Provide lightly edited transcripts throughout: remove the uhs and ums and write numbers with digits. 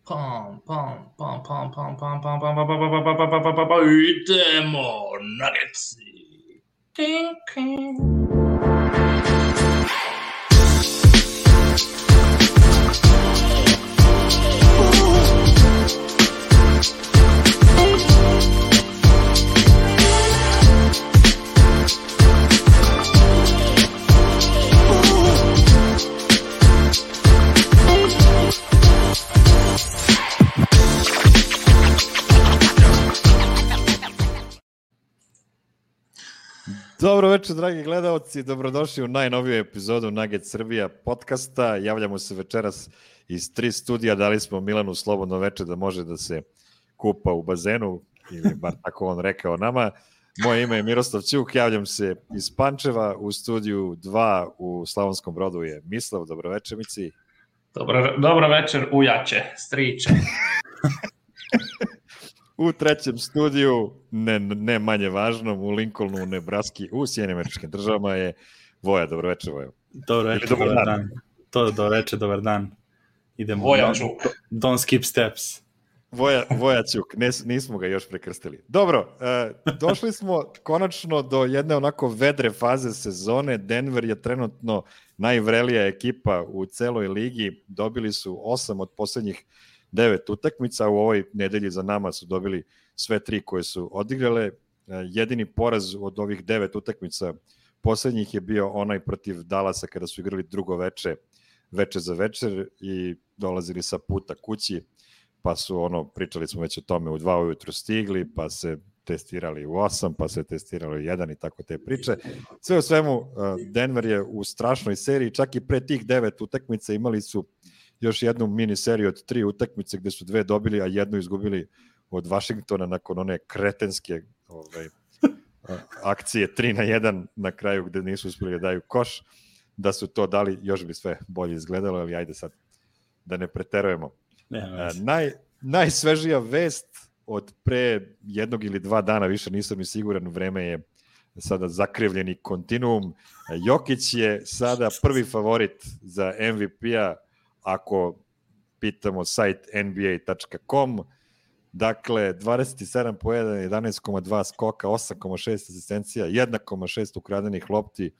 Pam, pam, pam, pam, pam, pam, pam, pam, pam, pam, pam, pam, pam, pam, pam, pam, pam, idemo, Nuggetsi. King, king. Dobro večer, dragi gledalci, dobrodošli u najnoviju epizodu Nugget Srbija podcasta. Javljamo se večeras iz 3 studija, dali smo Milanu slobodno večer da može da se kupa u bazenu, ili bar tako on rekao nama. Moje ime je Miroslav Ćuk, javljam se iz Pančeva, u studiju 2 u Slavonskom Brodu je Mislav, dobro večer Mici. Dobro večer, ujače, striče. U trećem studiju, ne manje važnom, u Lincolnu, u Nebraski, u Sjedinjenim Američkim Državama je Voja. Dobro večer, Voja. Dobro večer, dobar dan. Dobro večer, dobar dan. Idemo. Voja Ćuk. Don't skip steps. Voja Ćuk, nismo ga još prekrstili. Dobro, došli smo konačno do jedne onako vedre faze sezone. Denver je trenutno najvrelija ekipa u celoj ligi. Dobili su 8 od poslednjih 9 utakmica, u ovoj nedelji za nama su dobili sve 3 koje su odigrale. Jedini poraz od ovih 9 utakmica poslednjih je bio onaj protiv Dallasa kada su igrali drugo veče za večer i dolazili sa puta kući, pa su pričali smo već o tome, u 2 ujutru stigli, pa se testirali u 8, pa se testirali u 1 i tako te priče. Sve u svemu, Denver je u strašnoj seriji, čak i pre tih 9 utakmica imali su još jednu mini seriju od 3 utakmice gde su 2 dobili, a jednu izgubili od Vašingtona nakon one kretenske akcije 3-1 na kraju gde nisu uspeli da daju koš. Da su to dali, još bi sve bolje izgledalo, ali ajde sad da ne preterujemo. Najsvežija vest od pre 1 ili 2 dana, više nisam ni siguran, vreme je sada zakrivljeni kontinuum. Jokić je sada prvi favorit za MVP-a ako pitamo sajt nba.com. Dakle, 27 poena, 11,2 skoka, 8,6 asistencija, 1,6 ukradenih lopti.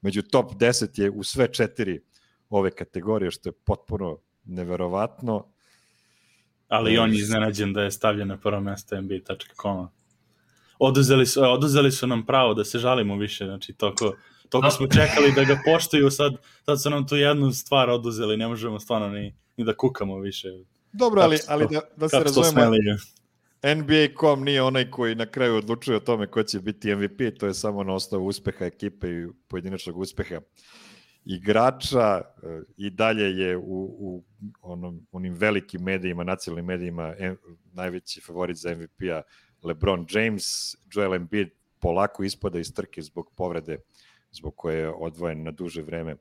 Među top 10 je u sve 4 ove kategorije, što je potpuno neverovatno. Ali on je iznenađen da je stavljen na prvo mesto nba.com. Oduzeli su nam pravo da se žalimo više, znači toliko smo čekali da ga poštuju, sad su nam tu jednu stvar oduzeli, ne možemo stvarno ni da kukamo više. Dobro, ali da se razumemo, NBA.com nije onaj koji na kraju odlučuje o tome ko će biti MVP, to je samo na osnovu uspeha ekipe i pojedinačnog uspeha igrača. I dalje je u onim velikim medijima, nacionalnim medijima, najveći favorit za MVP-a LeBron James. Joel Embiid polako ispada iz trke zbog povrede, zbog koje je odvojen na duže vreme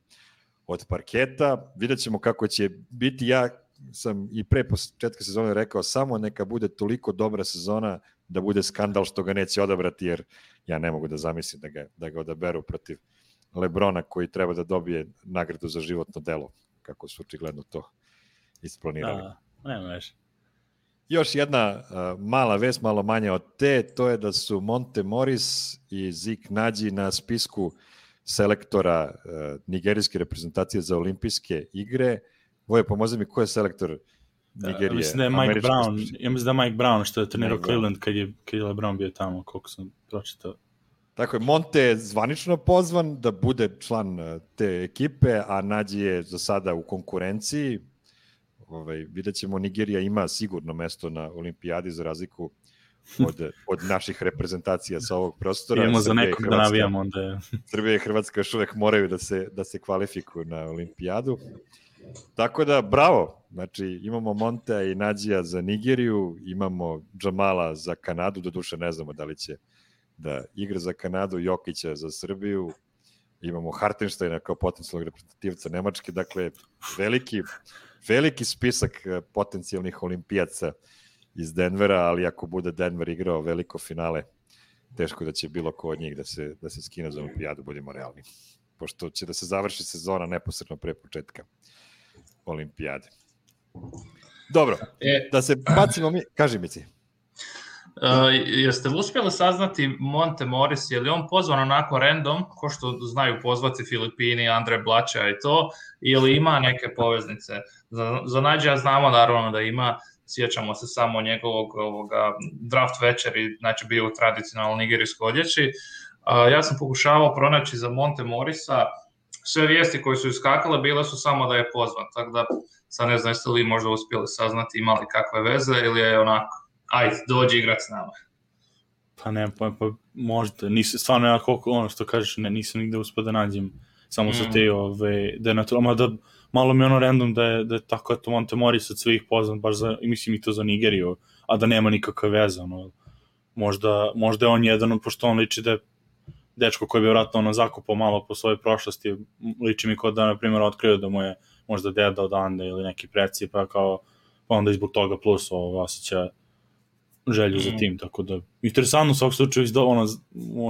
od parketa. Vidjet ćemo kako će biti. Ja sam i pre početka sezone rekao, samo neka bude toliko dobra sezona da bude skandal što ga neće odabrati, jer ja ne mogu da zamislim da ga odaberu protiv LeBrona, koji treba da dobije nagradu za životno delo, kako su očigledno to isplanirali. Nema već. Još jedna mala vest, malo manje od te, to je da su Monte Morris i Zik Nađi na spisku selektora nigerijske reprezentacije za olimpijske igre. Voje, pomozi mi, ko je selektor Nigerije? Mislim da je Mike Brown. Ja mislim da je Mike Brown što je trenirao Cleveland kad je LeBron bio tamo, koliko sam pročitao. Tako je, Monte je zvanično pozvan da bude član te ekipe, a Nađi je za sada u konkurenciji. Vidjet ćemo, Nigerija ima sigurno mesto na olimpijadi za razliku od naših reprezentacija sa ovog prostora. Idemo za nekog da navijamo onda je. Srbija i Hrvatska još uvek moraju da se kvalifikuju na olimpijadu. Tako da, bravo. Znači, imamo Montea i Nađija za Nigeriju, imamo Džamala za Kanadu, doduše ne znamo da li će da igra za Kanadu, Jokića za Srbiju, imamo Hartensteina kao potencijalnog reprezentativca Nemačke, dakle, veliki spisak potencijalnih olimpijaca iz Denvera, ali ako bude Denver igrao veliko finale, teško da će bilo ko od njih da se skine za olimpijadu, budemo realni. Pošto će da se završi sezona neposredno pre početka olimpijade. Dobro, da se bacimo mi, kaži mi ti. Jeste li uspjeli saznati Monte Morris, je li on pozvan onako random, ko što znaju pozvati Filipini, Andre Blača i to, ili ima neke poveznice? Za Nađa znamo naravno da ima, sjećamo se samo njegovog draft večeri, znači bio u tradicionalnoj nigerijskoj odjeći. Ja sam pokušavao pronaći za Monte Morrisa, sve vijesti koje su iskakale bile su samo da je pozvan, tako da sad ne znam jeste li možda uspjeli saznati imali kakve veze ili je onako ajde, dođi igrat s nama. Pa ne, pa možda, stvarno ja koliko, ono što kažeš, nisam nigde uspio da nađem, samo sa te, da je naturalno, da malo mi ono random da je tako, eto, Monte Morris od svih pozvan, baš za, mislim i to za Nigeriju, a da nema nikakve veze, ono, možda je on jedan, pošto on liči da je dečko koji bi vratno ono zakupao malo po svojoj prošlosti, liči mi kao da, na primjer, otkrio da mu je možda deda odande ili neki preci, pa kao, pa onda izbog toga plus osjeća želju za tim, tako da interesantno u svog slučaju ono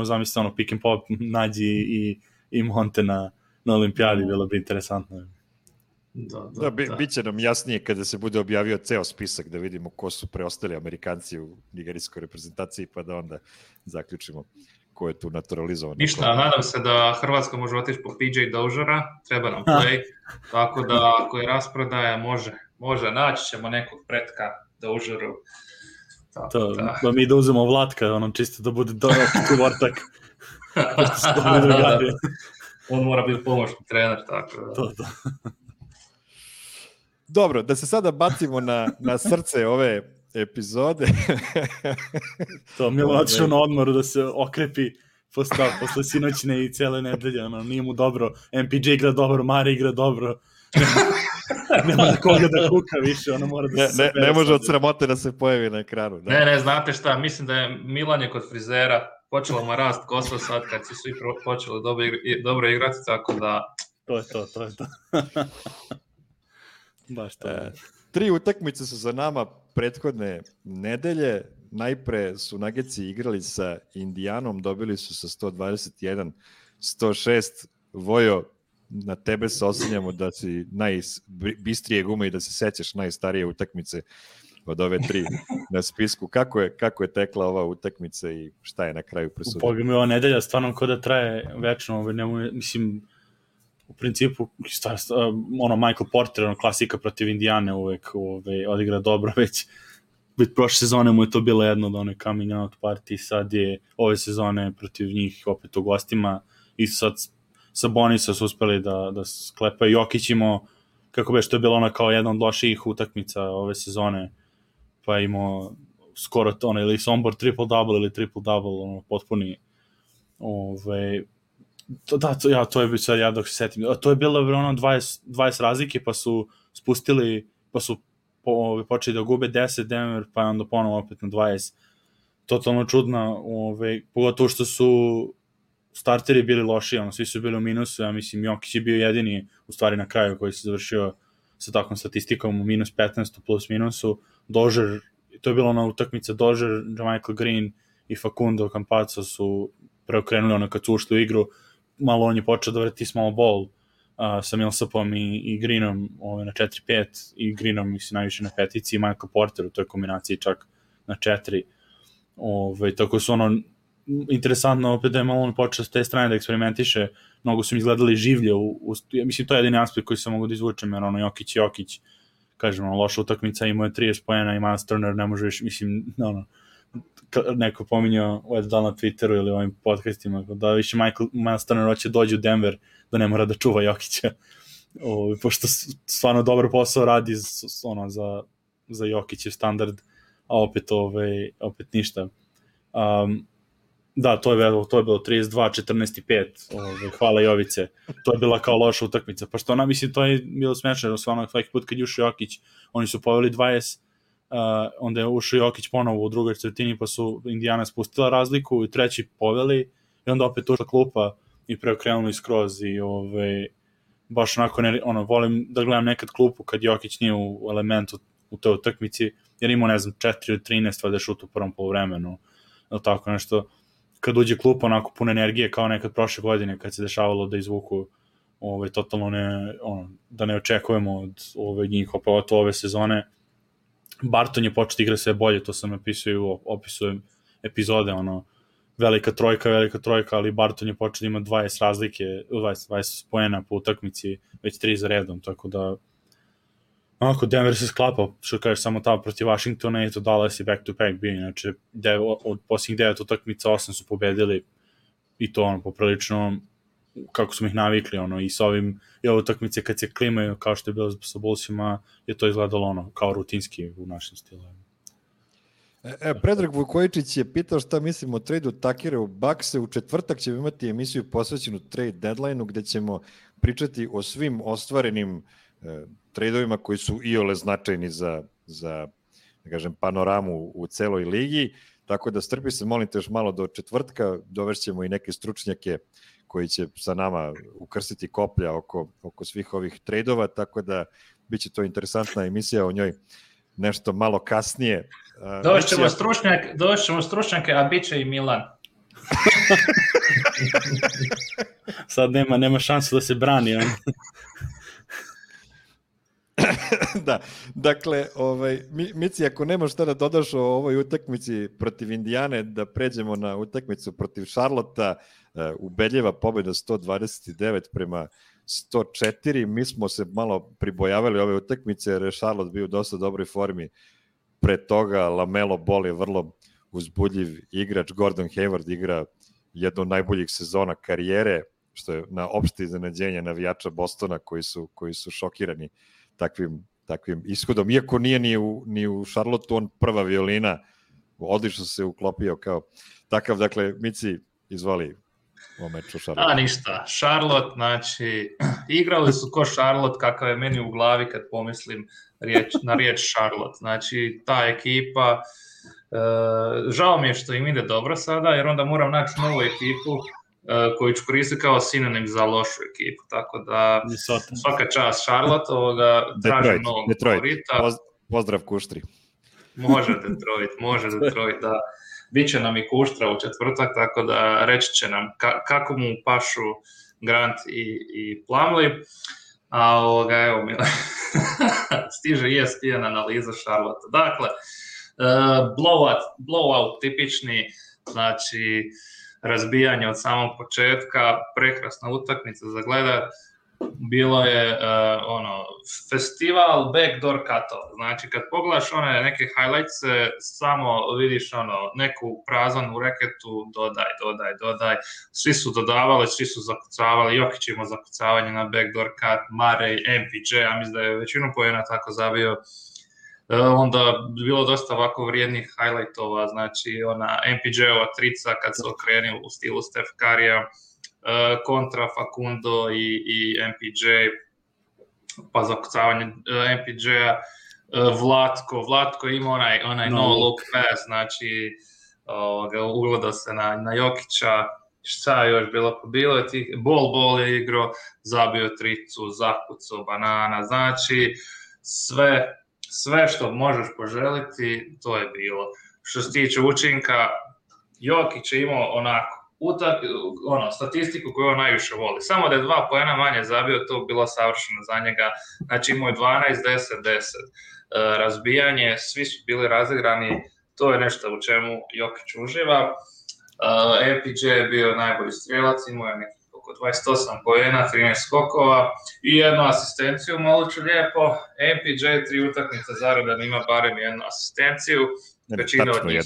zamislite ono pick and pop Nađi i Monte na olimpijadi, bilo bi interesantno. Da, bit će nam jasnije kada se bude objavio ceo spisak da vidimo ko su preostali Amerikanci u nigerijskoj reprezentaciji, pa da onda zaključimo ko je tu naturalizovan. Ništa, nadam se da Hrvatska može otići po PJ Doziera, treba nam play, tako da ako je rasprodaja može, naći ćemo nekog pretka Dozieru. Da mi da uzemo Vlatka, ono čisto da bude dodatni vortak. On mora biti pomoćni trener, tako da. To. Dobro, da se sada bacimo na srce ove epizode. To Milan otišao na odmoru da se okrepi posle sinoćne i cele nedelje, ono, nije mu dobro, MPJ igra dobro, Mari igra dobro. Nema na koga da kuka više, ono mora da se ne može od sramote da se pojavi na ekranu. Da. Ne, znate šta, mislim da je Milan je kod frizera, počelo mu rast kosa sad kad su svi počeli dobro igrati, tako da... To je to. Baš to. 3 utakmice su za nama prethodne nedelje. Najpre su Nuggetsi igrali sa Indijanom, dobili su sa 121-106. Vojo, na tebe se oslanjamo da si najbistrije gume i da se sećaš najstarije utakmice od ove 3 na spisku. Kako je tekla ova utakmica i šta je na kraju presudio? Pogledaj, ova nedelja stvarno kao da traje večno, mislim, u principu, ono, Michael Porter, ono, klasika protiv Indijane uvek odigra dobro, već prošle sezone mu je to bilo jedno od one coming out party, sad je ove sezone protiv njih opet u gostima i sad sa Bonisa su uspeli da sklepaju. Jokić imao, kako bi što je bilo ona kao jedna od loših utakmica ove sezone, pa imao skoro to, ili Sombor triple-double ili triple-double, ono, potpuni to je bilo sad, ja dok se setim, to je bilo ono 20 razlike, pa su spustili, pa su počeli da gube 10 Denver, pa onda ponovo opet na 20. Totalno čudno, pogotovo što su starteri bili loši, ono, svi su bili u minusu, ja mislim Jokić je bio jedini u stvari na kraju koji se završio sa takvom statistikom u minus 15 plus minusu. Dozier, to je bila ona utakmica, Dozier, Michael Green i Facundo Campazzo su preokrenuli ono kad su ušli u igru, malo on je počeo da vrti small ball sa Millsapom i Greenom na 4-5 i Greenom mislim najviše na petici i Michael Porter u toj kombinaciji čak na 4. Tako su ono interesantno opet da je malo on počeo s te strane da eksperimentiše, mnogo su mi izgledali življe mislim to je jedini aspekt koji se mogu da izvučem, jer ono Jokić kažem, loša utakmica, imao je 30 poena i Miles Turner ne može više, mislim, neko pominjao da na Twitteru ili ovim podcastima, da više Miles Turner hoće dođe u Denver, da ne mora da čuva Jokića, pošto stvarno dobar posao radi za Jokićev standard, a opet ništa. Da, to je bilo 32, 14 i 5, hvala Jovice, to je bila kao loša utakmica, pa što ona, mislim, to je bilo smešno, stvarno svaki put kad je ušao Jokić, oni su poveli 20, onda je ušao Jokić ponovo u drugoj četvrtini, pa su Indijana spustila razliku i treći poveli i onda opet ušla klupa i preokrenuli skroz i baš onako, volim da gledam nekad klupu kad Jokić nije u elementu u toj utakmici, jer imao, ne znam, 4 ili 13 valjda šut u prvom poluvremenu, tako nešto, kad uđe klupa onako puno energije kao nekad prošle godine kad se dešavalo da izvuku totalno da ne očekujemo od njih, pa ove sezone Barton je početi igra sve bolje, to sam napisao i u opisu epizode, velika trojka, ali Barton je početi ima 20 razlike, 20 poena po utakmici, već 3 za redom, tako da Denver se sklapa, što kažeš, samo tamo protiv Washingtona i to Dallas je back-to-back bio, znači od posljednjih 9 utakmica 8 su pobedili i to poprilično kako smo ih navikli, i s ovim i ove utakmice kad se klimaju kao što je bilo sa Bullsima, je to izgledalo kao rutinski u našem stilu. Predrag Vukojičić je pitao šta mislimo o tradu Takera u Buckse. U četvrtak ćemo imati emisiju posvećenu trade deadline-u gde ćemo pričati o svim ostvarenim tradeovima koji su iole značajni za da kažem, panoramu u celoj ligi, tako da strpi se, molim te, još malo do četvrtka, dovešćemo i neke stručnjake koji će sa nama ukrstiti koplja oko svih ovih tradeova, tako da bit će to interesantna emisija, o njoj nešto malo kasnije. Došćemo stručnjake, a bit će i Milan. Sad nema šansu da se brani. Da, dakle, Mici, ako nemaš šta da dodaš o ovoj utakmici protiv Indijane, da pređemo na utakmicu protiv Charlotta, ubedljiva pobjeda 129 prema 104. Mi smo se malo pribojavali ove utakmice jer je Charlotte bio u dosta dobroj formi. Pre toga Lamelo Ball je vrlo uzbudljiv igrač, Gordon Hayward igra jednu od najboljih sezona karijere, što je na opšte iznenađenje navijača Bostona koji su šokirani takvim ishodom. Iako nije ni u Charlotteu on prva violina, odlično se uklopio kao takav. Dakle, Mici, izvoli o meču Charlotte. Ništa. Charlotte, znači, igrali su ko Charlotte, kakav je meni u glavi kad pomislim na riječ Charlotte. Znači, ta ekipa, žao mi je što im ide dobro sada, jer onda moram naći novu ekipu koju ću koristiti kao sinonim za lošu ekipu, tako da svaka čast Charlotte, tražim novog favorita. Pozdrav Kuštri. Može Detroit, da. Biće nam i Kuštra u četvrtak, tako da reći će nam kako mu pašu Grant i Plumlee. A evo mi stiže ESPN analiza Charlotte. Dakle, blowout tipični, znači razbijanje od samog početka, prekrasna utakmica za gledat. Bilo je festival backdoor cutova. Znači kad pogledaš one neke highlights, samo vidiš neku prazanu reketu, dodaj. Svi su dodavali, svi su zakucavali, Jokić ima zakucavanje na backdoor cut, Murray, MPJ, ja mislim da je većinu poena tako zabio. Onda bilo dosta ovako vrijednih highlightova, znači ona MPJ-ova trica kad se okrenio u stilu Steph Curryja, kontra Facundo i MPJ, pa zakucavanje MPJ-a, Vlatko ima onaj no look pass, znači ugleda se na Jokića, šta je još bilo je tih, Ball je igrao, zabio tricu, zakucao banana, znači sve što možeš poželiti, to je bilo. Što se tiče učinka, Jokić je imao onako statistiku koju on najviše voli. Samo da je 2 poena manje zabio, to bilo savršeno za njega. Znači imao je 12-10-10. Razbijanje, svi su bili razigrani, to je nešto u čemu Jokić uživa. MPJ je bio najbolji strijelac, imao je nekih oko 28 poena, 13 skokova i jednu asistenciju, malo ću lijepo. MPJ 3 utakmice zaredom ima barem jednu asistenciju. Većina od njih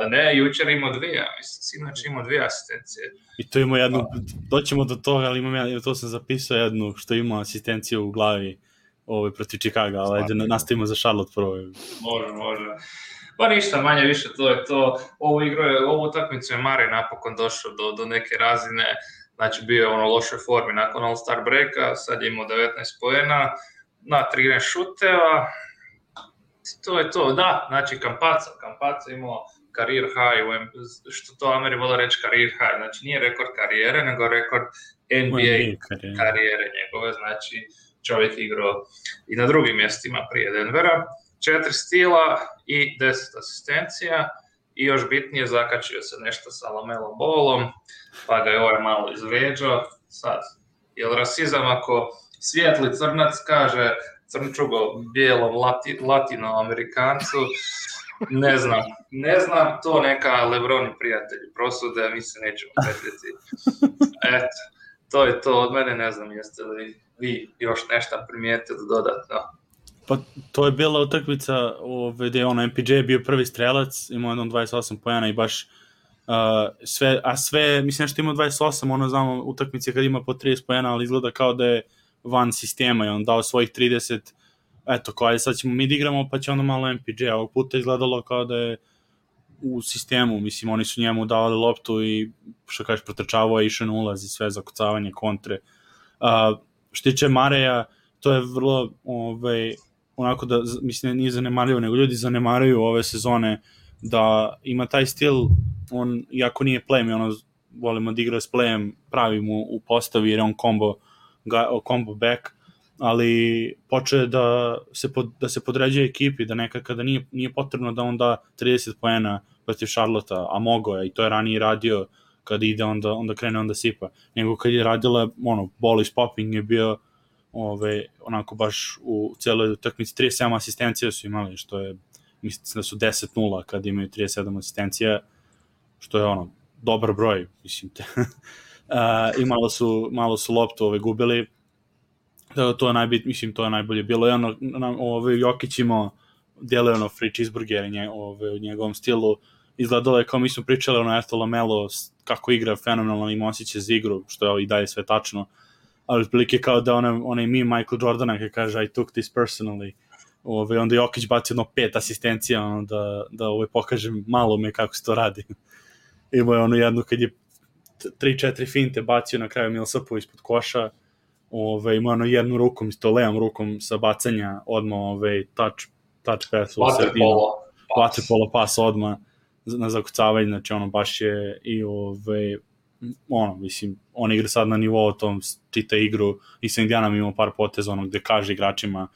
ne, jučer imao 2, sinoć imao 2 asistencije. I to ima jednu, doćemo do toga, ali to sam zapisao jednu, što ima asistenciju u glavi protiv Chicaga, ali ajde nastavimo za Charlotte prvo. Može. Pa ništa, manje više, to je to. Ovu utakmicu je Murray napokon došao do neke razine, znači bio je u lošoj formi nakon All-Star breaka, sad je imao 19 poena na 13 šuteva. To je to, da, znači Campazzo imao career high, što to Ameri vole reći career high, znači nije rekord karijere, nego rekord NBA karijere njegove, znači čovjek igrao i na drugim mjestima prije Denvera, 4 stila i 10 asistencija i još bitnije zakačio se nešto sa Lamelom Ballom, pa ga je malo izvrijeđao. Sad, je li rasizam ako svijetli crnac kaže crnčugo bijelom latinoamerikancu, ne znam, to neka Lebroni prijatelji prosude, mi se nećemo petljeti. Eto, to je to od mene, ne znam jeste li vi još nešto primijetili dodatno. Pa to je bila utakmica gde je MPJ bio prvi strelac, imao jednom 28 pojena i baš sve, mislim što imao 28, znamo utakmice kad ima po 30 pojena, ali izgleda kao da je van sistema i on dao svojih 30, eto, kao sad ćemo mi da igramo pa će onda malo MPJ, ovog puta izgledalo kao da je u sistemu, mislim oni su njemu davali loptu i što kažeš protrčavao je, išao na ulaz i sve zakucavanje, kontre. Što tiče Mareja, to je vrlo onako da, mislim, nije zanemario, nego ljudi zanemaruju ove sezone da ima taj stil, on, iako nije playem, volimo da igra s playem, pravi mu u postavi jer je on combo back, ali počeo da se podređuje ekipi, da nekad kada nije potrebno da on da 30 poena protiv Charlotta, a mogo je, i to je ranije radio, kada ide onda krene, onda sipa, nego kad je radila, ball is popping je bio onako baš u celoj utakmici 37 asistencija su imali, što je, mislim da su 10-0 kad imaju 37 asistencija, što je dobar broj, mislim te. I malo su loptu gubili, to je najbitnije, mislim to je najbolje bilo, Jokić imao deluje free cheeseburger u njegovom stilu, izgledalo je kao mi smo pričali Eto Lamelo kako igra fenomenalno, ima osjećaj za igru, što je i dalje sve tačno, ali otprilike kao da onaj meme Michael Jordana koji kaže I took this personally, onda Jokić baci 5 asistencija da pokaže malo me kako se to radi. Imao je jednu kad je 3-4 finte bacio na kraju Millsapu ispod koša, imao jednu rukom, isto levom rukom sa bacanja odmah touch pass u sredinu, waterpolo pas odmah na zakucavanje, znači baš je i mislim, on igra sad na nivou tom, čita igru i sa Indianom imamo par poteza gde kaže igračima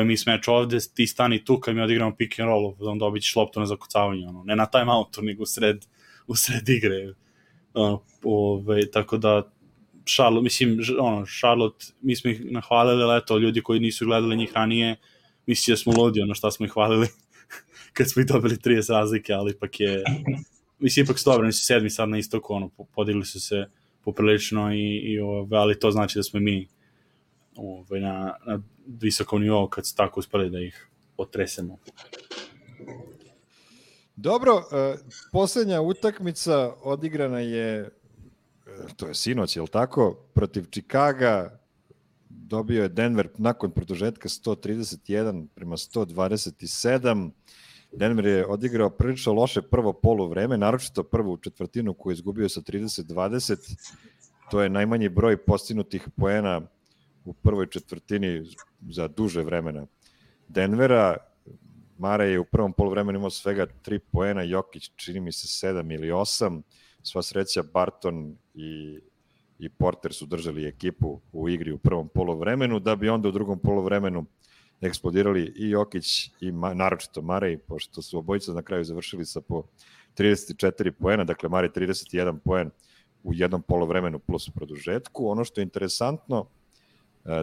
mi smeč ovde, ti stani tu kad mi odigramo pick and roll, onda dobit ćeš loptu na zakucavanje, ne na timeoutu, nego u sred igre. Tako da Charlotte, mi smo ih nahvalili, ali eto, ljudi koji nisu gledali njih ranije, misli da smo ludi, šta smo ih hvalili kad smo ih dobili 30 razlike, ali ipak je, mislim, ipak su dobro, nisu 7. sad na istoku, podigli su se poprilično, ali to znači da smo mi na visokom nivou kad su tako uspeli da ih otresemo. Dobro, posljednja utakmica odigrana je, to je sinoć, je li tako, protiv Chicaga, dobio je Denver nakon produžetka 131-127. Denver je odigrao prilično loše prvo poluvreme, naročito prvu četvrtinu koju je izgubio sa 30-20. To je najmanji broj postignutih poena u prvoj četvrtini za duže vremena Denvera. Mare je u prvom poluvremenu imao svega 3 poena, Jokić čini mi se 7 ili 8. Sva sreća Barton i Porter su držali ekipu u igri u prvom poluvremenu, da bi onda u drugom poluvremenu eksplodirali i Jokić i naročito Mare, pošto su obojica na kraju završili sa po 34 poena, dakle Mare 31 poen u jednom poluvremenu plus produžetku. Ono što je interesantno,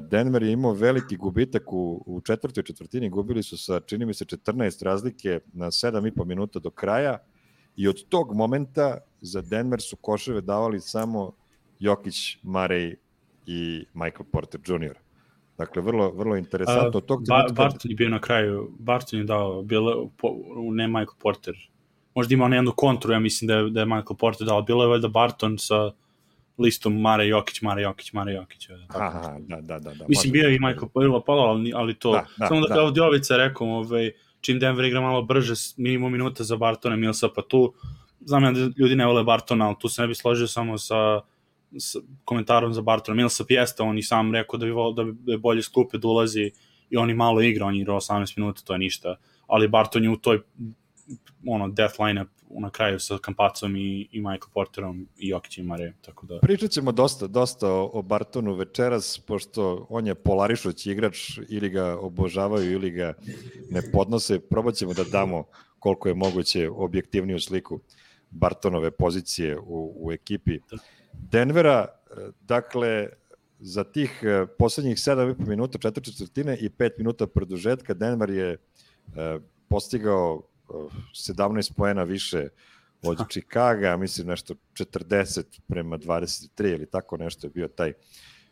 Denver je imao veliki gubitak u četvrtoj četvrtini, gubili su sa, čini mi se, 14 razlike na 7,5 minuta do kraja i od tog momenta za Denver su koševe davali samo Jokić, Murray i Michael Porter Jr. Dakle, vrlo interesantno. Barton je bio na kraju, Barton je dao, ne Michael Porter, možda imao jednu kontru, ja mislim da je Michael Porter dao, bilo je valjda Barton sa listom Mare Jokić. Aha, da. Mislim, bio je i Michael Porter, ali to, samo da kao Djovica rekao, čim Denver igra malo brže, minimum minuta za Bartona, Millsapa tu, znam ja da ljudi ne vole Bartona, ali tu se ne bi složio samo sa komentarom za Bartona. Millsap jeste, on i sam rekao da bi bolje skupe da ulazi i on i malo igra, on igra 18 minuta, to je ništa, ali Barton je u toj death line-up na kraju sa Campazom i Michael Porterom i Jokićem i Mare, tako da... Pričat ćemo dosta o Bartonu večeras, pošto on je polarišući igrač, ili ga obožavaju ili ga ne podnose. Probat ćemo da damo koliko je moguće objektivniju sliku Bartonove pozicije u ekipi Denvera. Dakle, za tih poslednjih 7,5 minuta, 4/4 i 5 minuta produžetka, Denver je postigao 17 poena više od Chicaga, mislim nešto 40-23 ili tako nešto je bio taj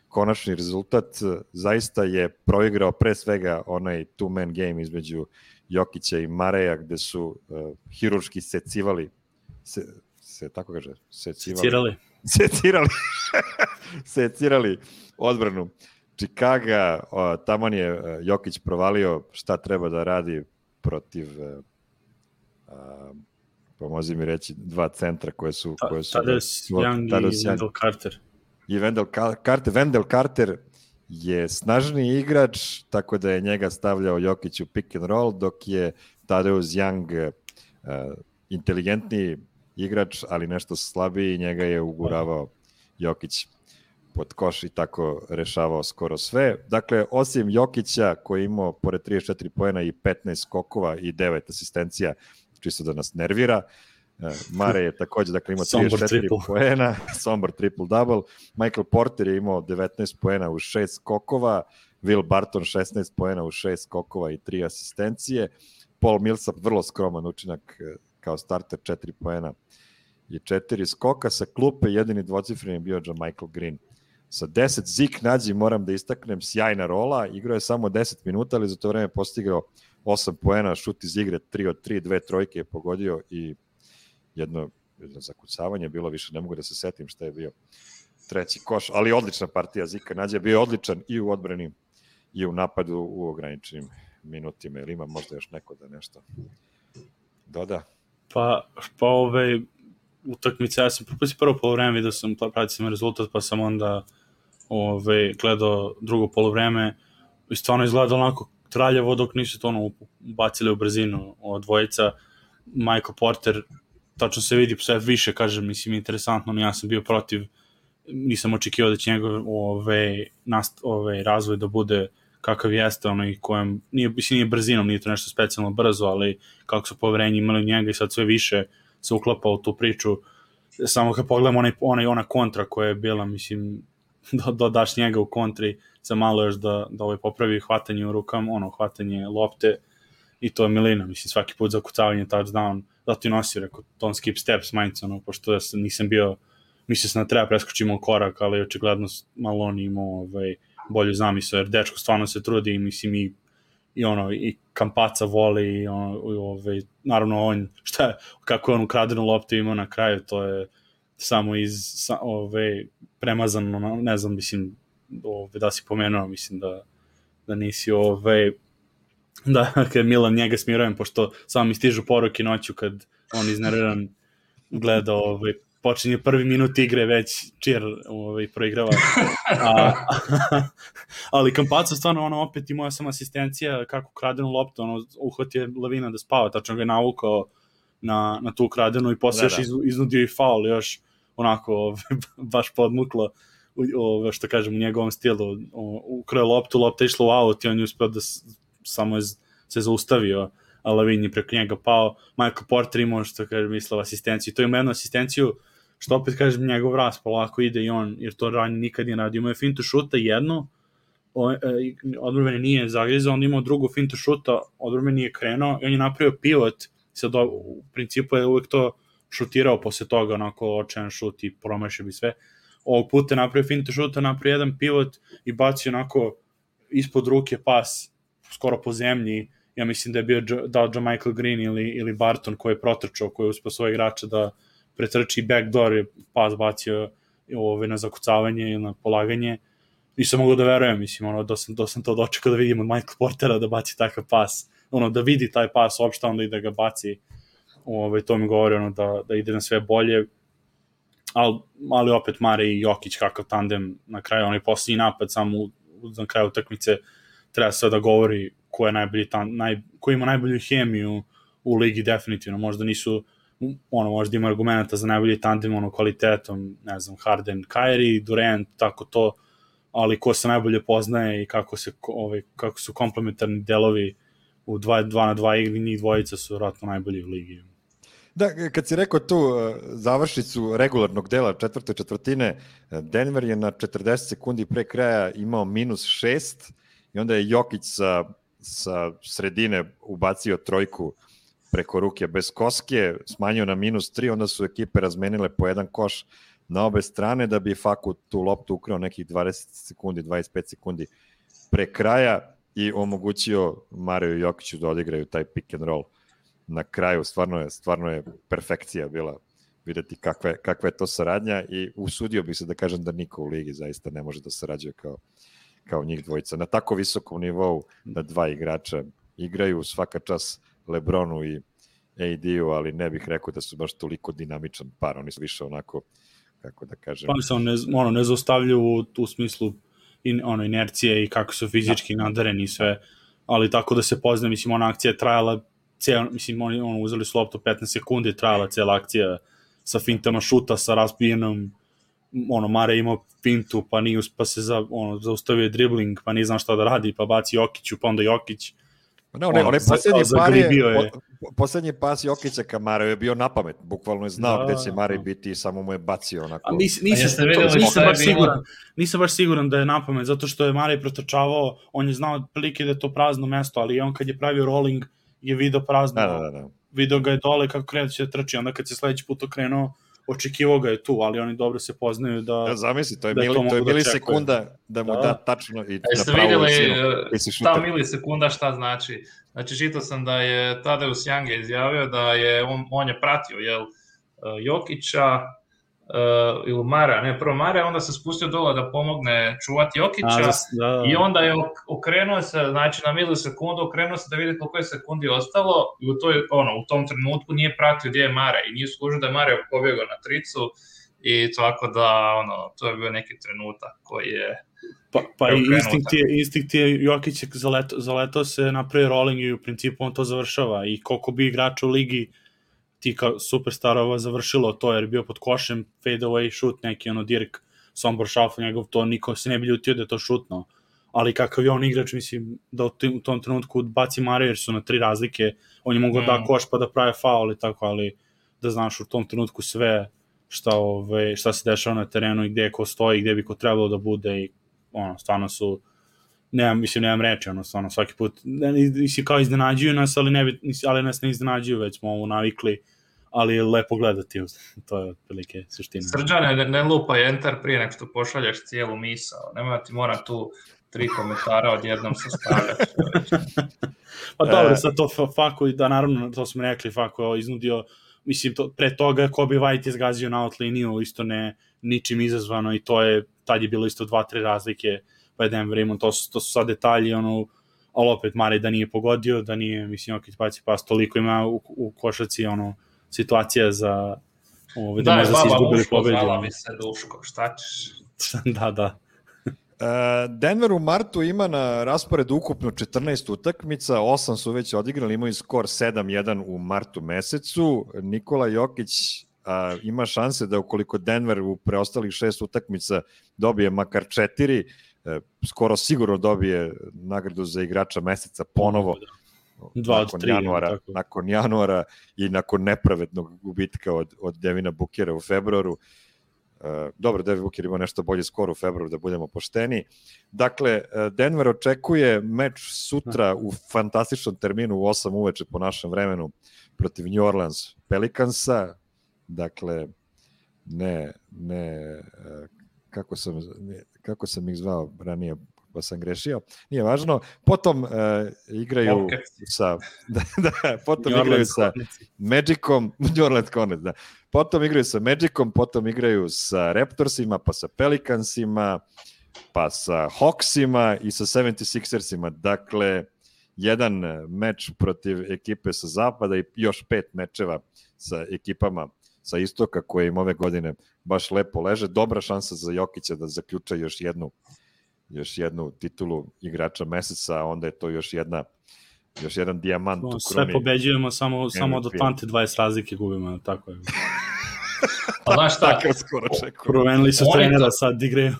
konačni rezultat. Zaista je proigrao pre svega onaj two-man game između Jokića i Mareja, gde su hirurški secivali, tako kaže? Secirali odbranu Chicaga. Taman je Jokić provalio šta treba da radi protiv pomozi mi reći, dva centra koje su Thaddeus Young i Wendell Carter. I Wendell Carter je snažniji igrač, tako da je njega stavljao Jokić u pick and roll, dok je Thaddeus Young inteligentniji igrač, ali nešto slabiji, njega je uguravao Jokić pod koš i tako rešavao skoro sve. Dakle, osim Jokića koji je imao pored 34 poena i 15 skokova i 9 asistencija, čisto da nas nervira, Mare je takođe, dakle, imao 34 poena, Sombor triple-double, Michael Porter je imao 19 poena u 6 skokova, Will Barton 16 poena u 6 skokova i 3 asistencije, Paul Millsap vrlo skroman učinak kao starter, 4 poena i 4 skoka, sa klupe jedini dvocifreni je bio Michael Green. Sa 10 Zik Nađi, moram da istaknem, sjajna rola, igrao je samo 10 minuta, ali za to vreme postigao 8 poena, šut iz igre 3 od 3, 2 trojke je pogodio i jedno zakucavanje bilo, više ne mogu da se setim šta je bio treći koš, ali odlična partija Zika Nađe, bio je odličan i u odbrani i u napadu u ograničenim minutima. Ili ima možda još neko da nešto doda? Pa utakmica, ja sam propustio prvo polovreme, vidio sam, pratio sam rezultat, pa sam onda gledao drugo polovreme i stvarno izgledao onako traljavo dok nisu to bacili u brzinu od dvojica. Michael Porter, tačno se vidi sve više, kažem, mislim, interesantno, no ja sam bio protiv, nisam očekivao da će njegov razvoj da bude kakav jeste, onaj kojem, nije brzinom, nije to nešto specijalno brzo, ali kako su poverenje imali njega i sad sve više se uklapa u tu priču. Samo kad pogledam ona kontra koja je bila, mislim, dodaš njega u kontri, za malo još da popravi hvatanje u rukama, hvatanje lopte, i to je milina, mislim, svaki put za kucavanje touchdown, da ti nosi, rekao, don't skip steps, majnca, pošto nisam bio, mislio sam da treba preskočimo korak, ali očigledno malo on imao bolju zamisao, jer dečko stvarno se trudi, mislim, i Kampaca voli, i naravno on, kako je on ukradenu loptu imao na kraju, to je samo premazano, ne znam, mislim, da si pomenuo, mislim da nisi da, kad Milan njega smirujem, pošto samo mi stižu poruke noću kad on iznerviran gleda, počinje prvi minut igre, već cheer proigrava. Ali Kampaca stvarno, opet imao sam asistencija, kako kradenu loptu, uhvatio Lavina da spava, tačno ga je navukao na tu kradenu i posle još iznudio i faul, još onako baš podmuklo, što kažem, u njegovom stilu, ukrao loptu, lopta išla u aut i on je uspeo da samo se zaustavio, a Lavin je preko njega pao. Michael Porter imao, što kažem, mislio asistenciju. To ima jednu asistenciju, što opet kažem, njegov rast polako ide i on, jer to ranije nikad nije radio. Imao je fintu šuta jednu, odbrambeni nije zagrizao, on imao drugu fintu šuta, odbrambeni nije krenuo i on je napravio pivot, sad u principu je uvek to šutirao posle toga, onako očajan šut i promašio bi sve. Ovog puta je napravio fintu šuta, napravio jedan pivot i bacio onako ispod ruke pas, skoro po zemlji. Ja mislim da je bio Michael Green ili Barton koji je protrčao, koji je uspio svoje igrača da pretrči backdoor i pas bacio na zakucavanje ili na polaganje. Nisam mogu da verujem, mislim, da sam to dočekao da vidim od Michael Portera da baci takav pas, da vidi taj pas uopšte, onda i da ga baci. To mi govori da ide na sve bolje, ali opet Mare i Jokić, kakav tandem na kraju, onaj posljednji napad samo na kraju utakmice, treba sve da govori ko je najbolji ko ima najbolju hemiju u ligi, definitivno. Možda nisu, možda ima argumenta za najbolji tandem, kvalitetom, ne znam, Harden, Kyrie, Durant, tako to, ali ko se najbolje poznaje i kako su komplementarni delovi u 2 na 2 igri, njih dvojica su vratno najbolji u ligi. Da, kad si rekao tu završnicu regularnog dela četvrte četvrtine, Denver je na 40 sekundi pre kraja imao -6 i onda je Jokić sa sredine ubacio trojku preko ruke bez koske, smanjio na -3, onda su ekipe razmenile po jedan koš na obe strane da bi Faku tu loptu ukrao nekih 20 sekundi, 25 sekundi pre kraja i omogućio Mariju Jokiću da odigraju taj pick and roll na kraju. Stvarno je perfekcija bila videti kakva je to saradnja i usudio bih se da kažem da niko u ligi zaista ne može da sarađuje kao njih dvojica. Na tako visokom nivou da dva igrača igraju, svaka čas LeBronu i AD-u, ali ne bih rekao da su baš toliko dinamičan par, oni su više onako, kako da kažem... Pa se ne zaustavljaju u smislu inercije i kako su fizički nadareni i sve, ali tako da se pozna, mislim, ona akcija je trajala oni uzeli su loptu 15 sekundi, trajala cijela akcija sa fintama šuta, sa razbijenom, Mare imao fintu, pa se zaustavio dribling, pa nije znam šta da radi, pa baci Jokiću, pa onda Jokić. Onaj poslednji pas Jokića ka Mareu je bio napamet, bukvalno je znao gde će Mare biti i samo mu je bacio onako. Nisam baš siguran da je napamet, zato što je Mare protrčavao, on je znao prilike da je to prazno mesto, ali on kad je pravio rolling je video prazno, video ga je dole kako kreće da trči, onda kad se sledeći put okrenuo, očekivao ga je tu, ali oni dobro se poznaju da... Zamisli, to je milisekunda da mu da tačno i na pravu visinu. Ta milisekunda šta znači? Znači, čitao sam da je Tadeusz Young izjavio da je on je pratio Jokića ili Mara, prvo Mara, onda se spustio dole da pomogne čuvati Jokića i onda je okrenuo se, znači na milisekundu okrenuo se da vidi koliko je sekundi ostalo i u tom trenutku nije pratio gdje je Mara i nije skužio da je Mara pobjegao na tricu i tako da to je bio neki trenutak koji je pa i instinkt je Jokić zaletao se na pre rolling i u principu on to završava i koliko bi igrača u ligi ti kao superstarova završilo to, jer je bio pod košem, fade away shoot, neki Dirk Sombor šalfa njegov, to niko se ne bi ljutio da je to šutno, ali kakav je on igrač, mislim, da u tom trenutku baci Mare, jer su na 3 razlike, on je mogao da koš pa da prave faul i tako, ali da znaš u tom trenutku sve šta se dešava na terenu i gde ko stoji, gde bi ko trebalo da bude i stvarno su nemam reći, stvarno svaki put kao iznenađuju nas, ali nas ne iznenađuju, već smo ovo navikli, ali je lepo gledati, to je otprilike suština. Srđane, ne lupaj enter prije nek što pošaljaš cijelu misao, nema ti mora tu 3 komentara odjednom sastavljaš. Pa dobro, sad to Faku, da naravno, to smo rekli, Faku je iznudio, mislim, pre toga Kobe White je zgazio na out liniju, isto ničim izazvano i tad je bilo isto 2-3 razlike, pa je Denver imao, to su sad detalji, ali opet Mare da nije pogodio, da nije, mislim, Jokić baci pas, toliko ima u košaci, situacija za da može se izgubili pobedi. Da, baba, se Duško, šta ćeš? Da. Denver u martu ima na rasporedu ukupno 14 utakmica, 8 su već odigrali, imaju skor 7-1 u martu mesecu. Nikola Jokić ima šanse da ukoliko Denver u preostalih 6 utakmica dobije makar 4, skoro sigurno dobije nagradu za igrača meseca ponovo. 2 od 3. Nakon januara i nakon nepravednog gubitka od Devina Bookera u februaru. Dobro, Devin Booker ima nešto bolji skor u februaru, da budemo pošteni. Dakle, Denver očekuje meč sutra u fantastičnom terminu u 8 uveče po našem vremenu protiv New Orleans Pelicansa. Dakle, kako sam ih zvao ranije, pa sam grešio, nije važno. Potom igraju sa Magicom, New Orleans Hornets, da. Potom igraju sa Magicom, potom igraju sa Raptorsima, pa sa Pelicansima, pa sa Hawksima i sa 76ersima. Dakle, jedan meč protiv ekipe sa zapada i još 5 mečeva sa ekipama sa istoka koje im ove godine baš lepo leže. Dobra šansa za Jokića da zaključa još jednu titulu igrača meseca, a onda je to još jedan dijamant u kroni. Sve pobeđujemo, samo od Atlante 20 razlike gubimo, tako je. Pa znaš šta? Promenili su trenera, sad igraju.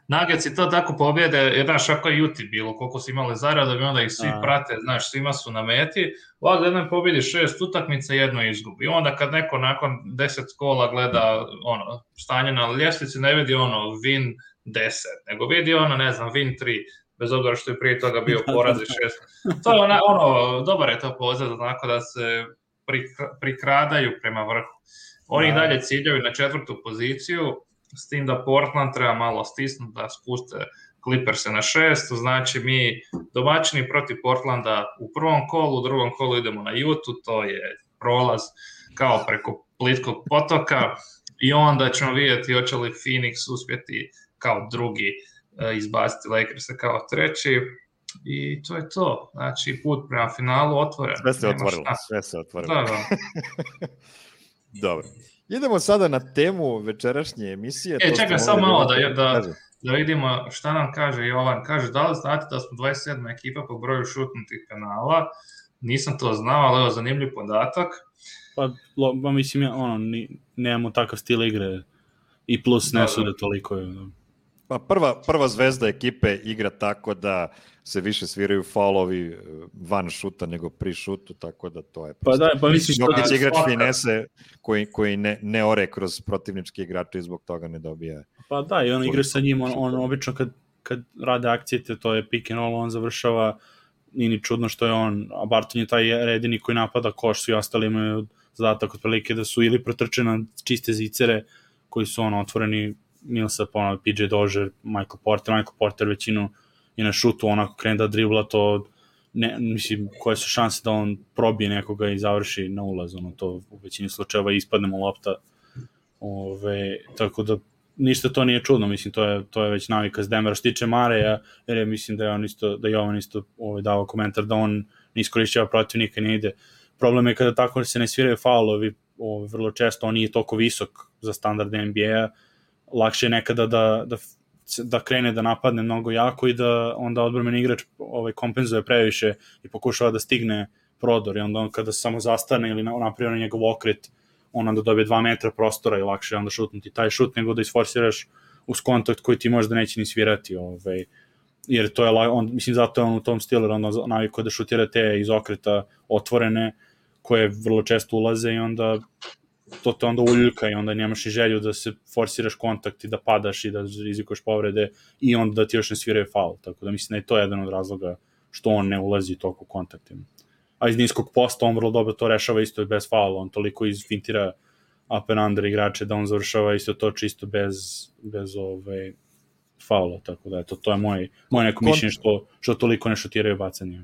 Nuggets to tako pobjede, jer znaš, ako je Juti bilo, koliko su imali zarada, bi onda ih svi prate, znaš, svima su na meti. Ovdje jedan pobjedi 6 utakmica, jedno izgubi. I onda kad neko nakon 10 kola gleda stanje na ljestvici, ne vidi win 10, nego vidi win 3, bez obzira što je prije toga bio poraz i 6. To je dobar je to pozad, onako da se prikradaju prema vrhu. Oni dalje ciljaju na 4. poziciju, s tim da Portland treba malo stisnuti da spuste Clippers na 6, znači mi domaćini protiv Portlanda u prvom kolu, u drugom kolu idemo na Utah, to je prolaz kao preko plitkog potoka i onda ćemo vidjeti hoće li Phoenix uspjeti kao drugi izbaciti Lakersa kao treći i to je to, znači put prema finalu otvoren. Sve se otvorilo. Da. Dobro. Idemo sada na temu večerašnje emisije. Čekaj, samo malo da vidimo šta nam kaže Jovan. Kaže, da li znate da smo 27. ekipa po broju šutnutih penala? Nisam to znao, ali evo zanimljiv podatak. Pa mislim, nemamo takav stil igre i plus ne sude toliko. Pa prva zvezda ekipe igra tako da se više sviraju faulovi van šuta nego pri šutu, tako da to je prosto. Pa mislim Jokić igrač finese koji ne ore kroz protivničke igrače i zbog toga ne dobija. Pa da, i on igra sa njim, on obično kad rade akcije, to je pick and roll, on završava, nije ni čudno što je on, a Barton je taj redini koji napada koš, svi ostali imaju zadatak otprilike da su ili protrčene čiste zicere koji su otvoreni, Millsap, PJ Dozier, Michael Porter većinu i na šutu onako krene da dribla, to mislim, koje su šanse da on probije nekoga i završi na ulaz, to u većini slučajeva ispadnemo lopta, tako da ništa to nije čudno, mislim, to je već navika s Denvera. Što tiče Mareja, jer ja mislim da je Jovan isto dao komentar da on ne iskorišćava protivnika i ne ide. Problem je kada tako se ne sviraju faulovi, vrlo često on nije toliko visok za standard NBA-a, lakše je nekada da krene da napadne mnogo jako i da onda odbrambeni igrač kompenzuje previše i pokušava da stigne prodor i onda kada se samo zastane ili napravi njegov okret, on onda dobije 2 metra prostora i lakše je onda šutnuti taj šut nego da isforsiraš uz kontakt koji ti možda neće ni svirati, jer to je, mislim, zato je on u tom stilu, onda navikao da šutira te iz okreta otvorene koje vrlo često ulaze i onda to te onda uljuljka i onda nemaš i želju da se forsiraš kontakt i da padaš i da rizikuješ povrede i onda da ti još ne sviraju faul, tako da mislim da je to jedan od razloga što on ne ulazi toliko u kontaktima. A iz niskog posta on vrlo dobro to rešava isto i bez faula, on toliko izfintira up and under igrače da on završava isto to čisto bez faula, tako da to je moje neko mišljenje što toliko ne šutiraju bacanje.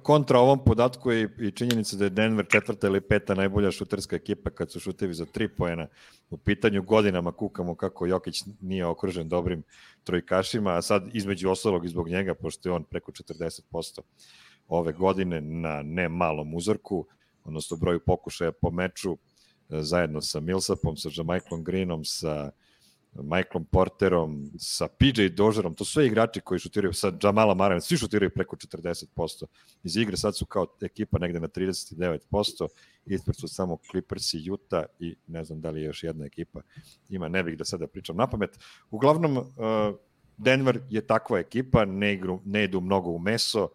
Kontra ovom podatku je i činjenica da je Denver 4. ili 5. najbolja šuterska ekipa kad su šutevi za 3 poena. U pitanju godinama kukamo kako Jokić nije okružen dobrim trojkašima, a sad između ostalog i zbog njega, pošto je on preko 40% ove godine na ne malom uzorku, odnosno broju pokušaja po meču, zajedno sa Millsapom, sa Jamichaelom Greenom, sa Michaelom Porterom, sa PJ Dozierom, to su sve igrači koji šutiraju, sa Jamalom Murrayem, svi šutiraju preko 40%. Iz igre sad su kao ekipa negde na 39%, ispred su samo Clippers i Utah i ne znam da li je još jedna ekipa. Ima, ne bih da sada pričam napamet. Uglavnom, Denver je takva ekipa, ne idu mnogo u meso,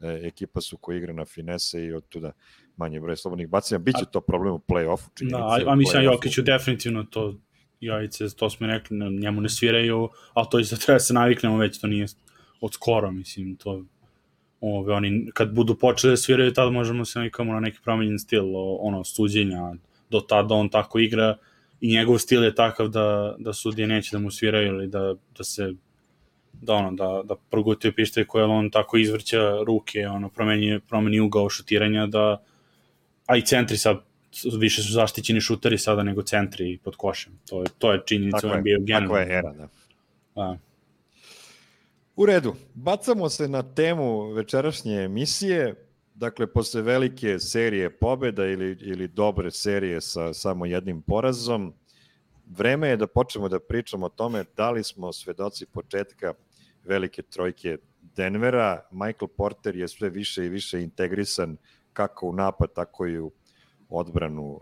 ekipa su koja igra na finese i od tuda manje broj slobodnih bacanja. Biće to problem u play-offu. Da, a mislim Jokiću definitivno to jajice, to smo rekli, njemu ne sviraju, ali to isto treba se naviknemo, već to nije od skoro, mislim, to oni kad budu počeli da sviraju, tada možemo se navikamo na neki promenjen stil, suđenja, do tada on tako igra i njegov stil je takav da sudije neće da mu sviraju ili da se da progutaju pištolj koje on tako izvrća ruke, promeni ugao šutiranja, a i centri sad više su zaštićeni šuteri sada nego centri pod košem. To je činjenica u NBA-u generalno. Tako je era, da. U redu, bacamo se na temu večerašnje emisije, dakle, posle velike serije pobjeda ili dobre serije sa samo jednim porazom, vreme je da počnemo da pričamo o tome da li smo svedoci početka velike trojke Denvera. Michael Porter je sve više i više integrisan kako u napad, tako i u odbranu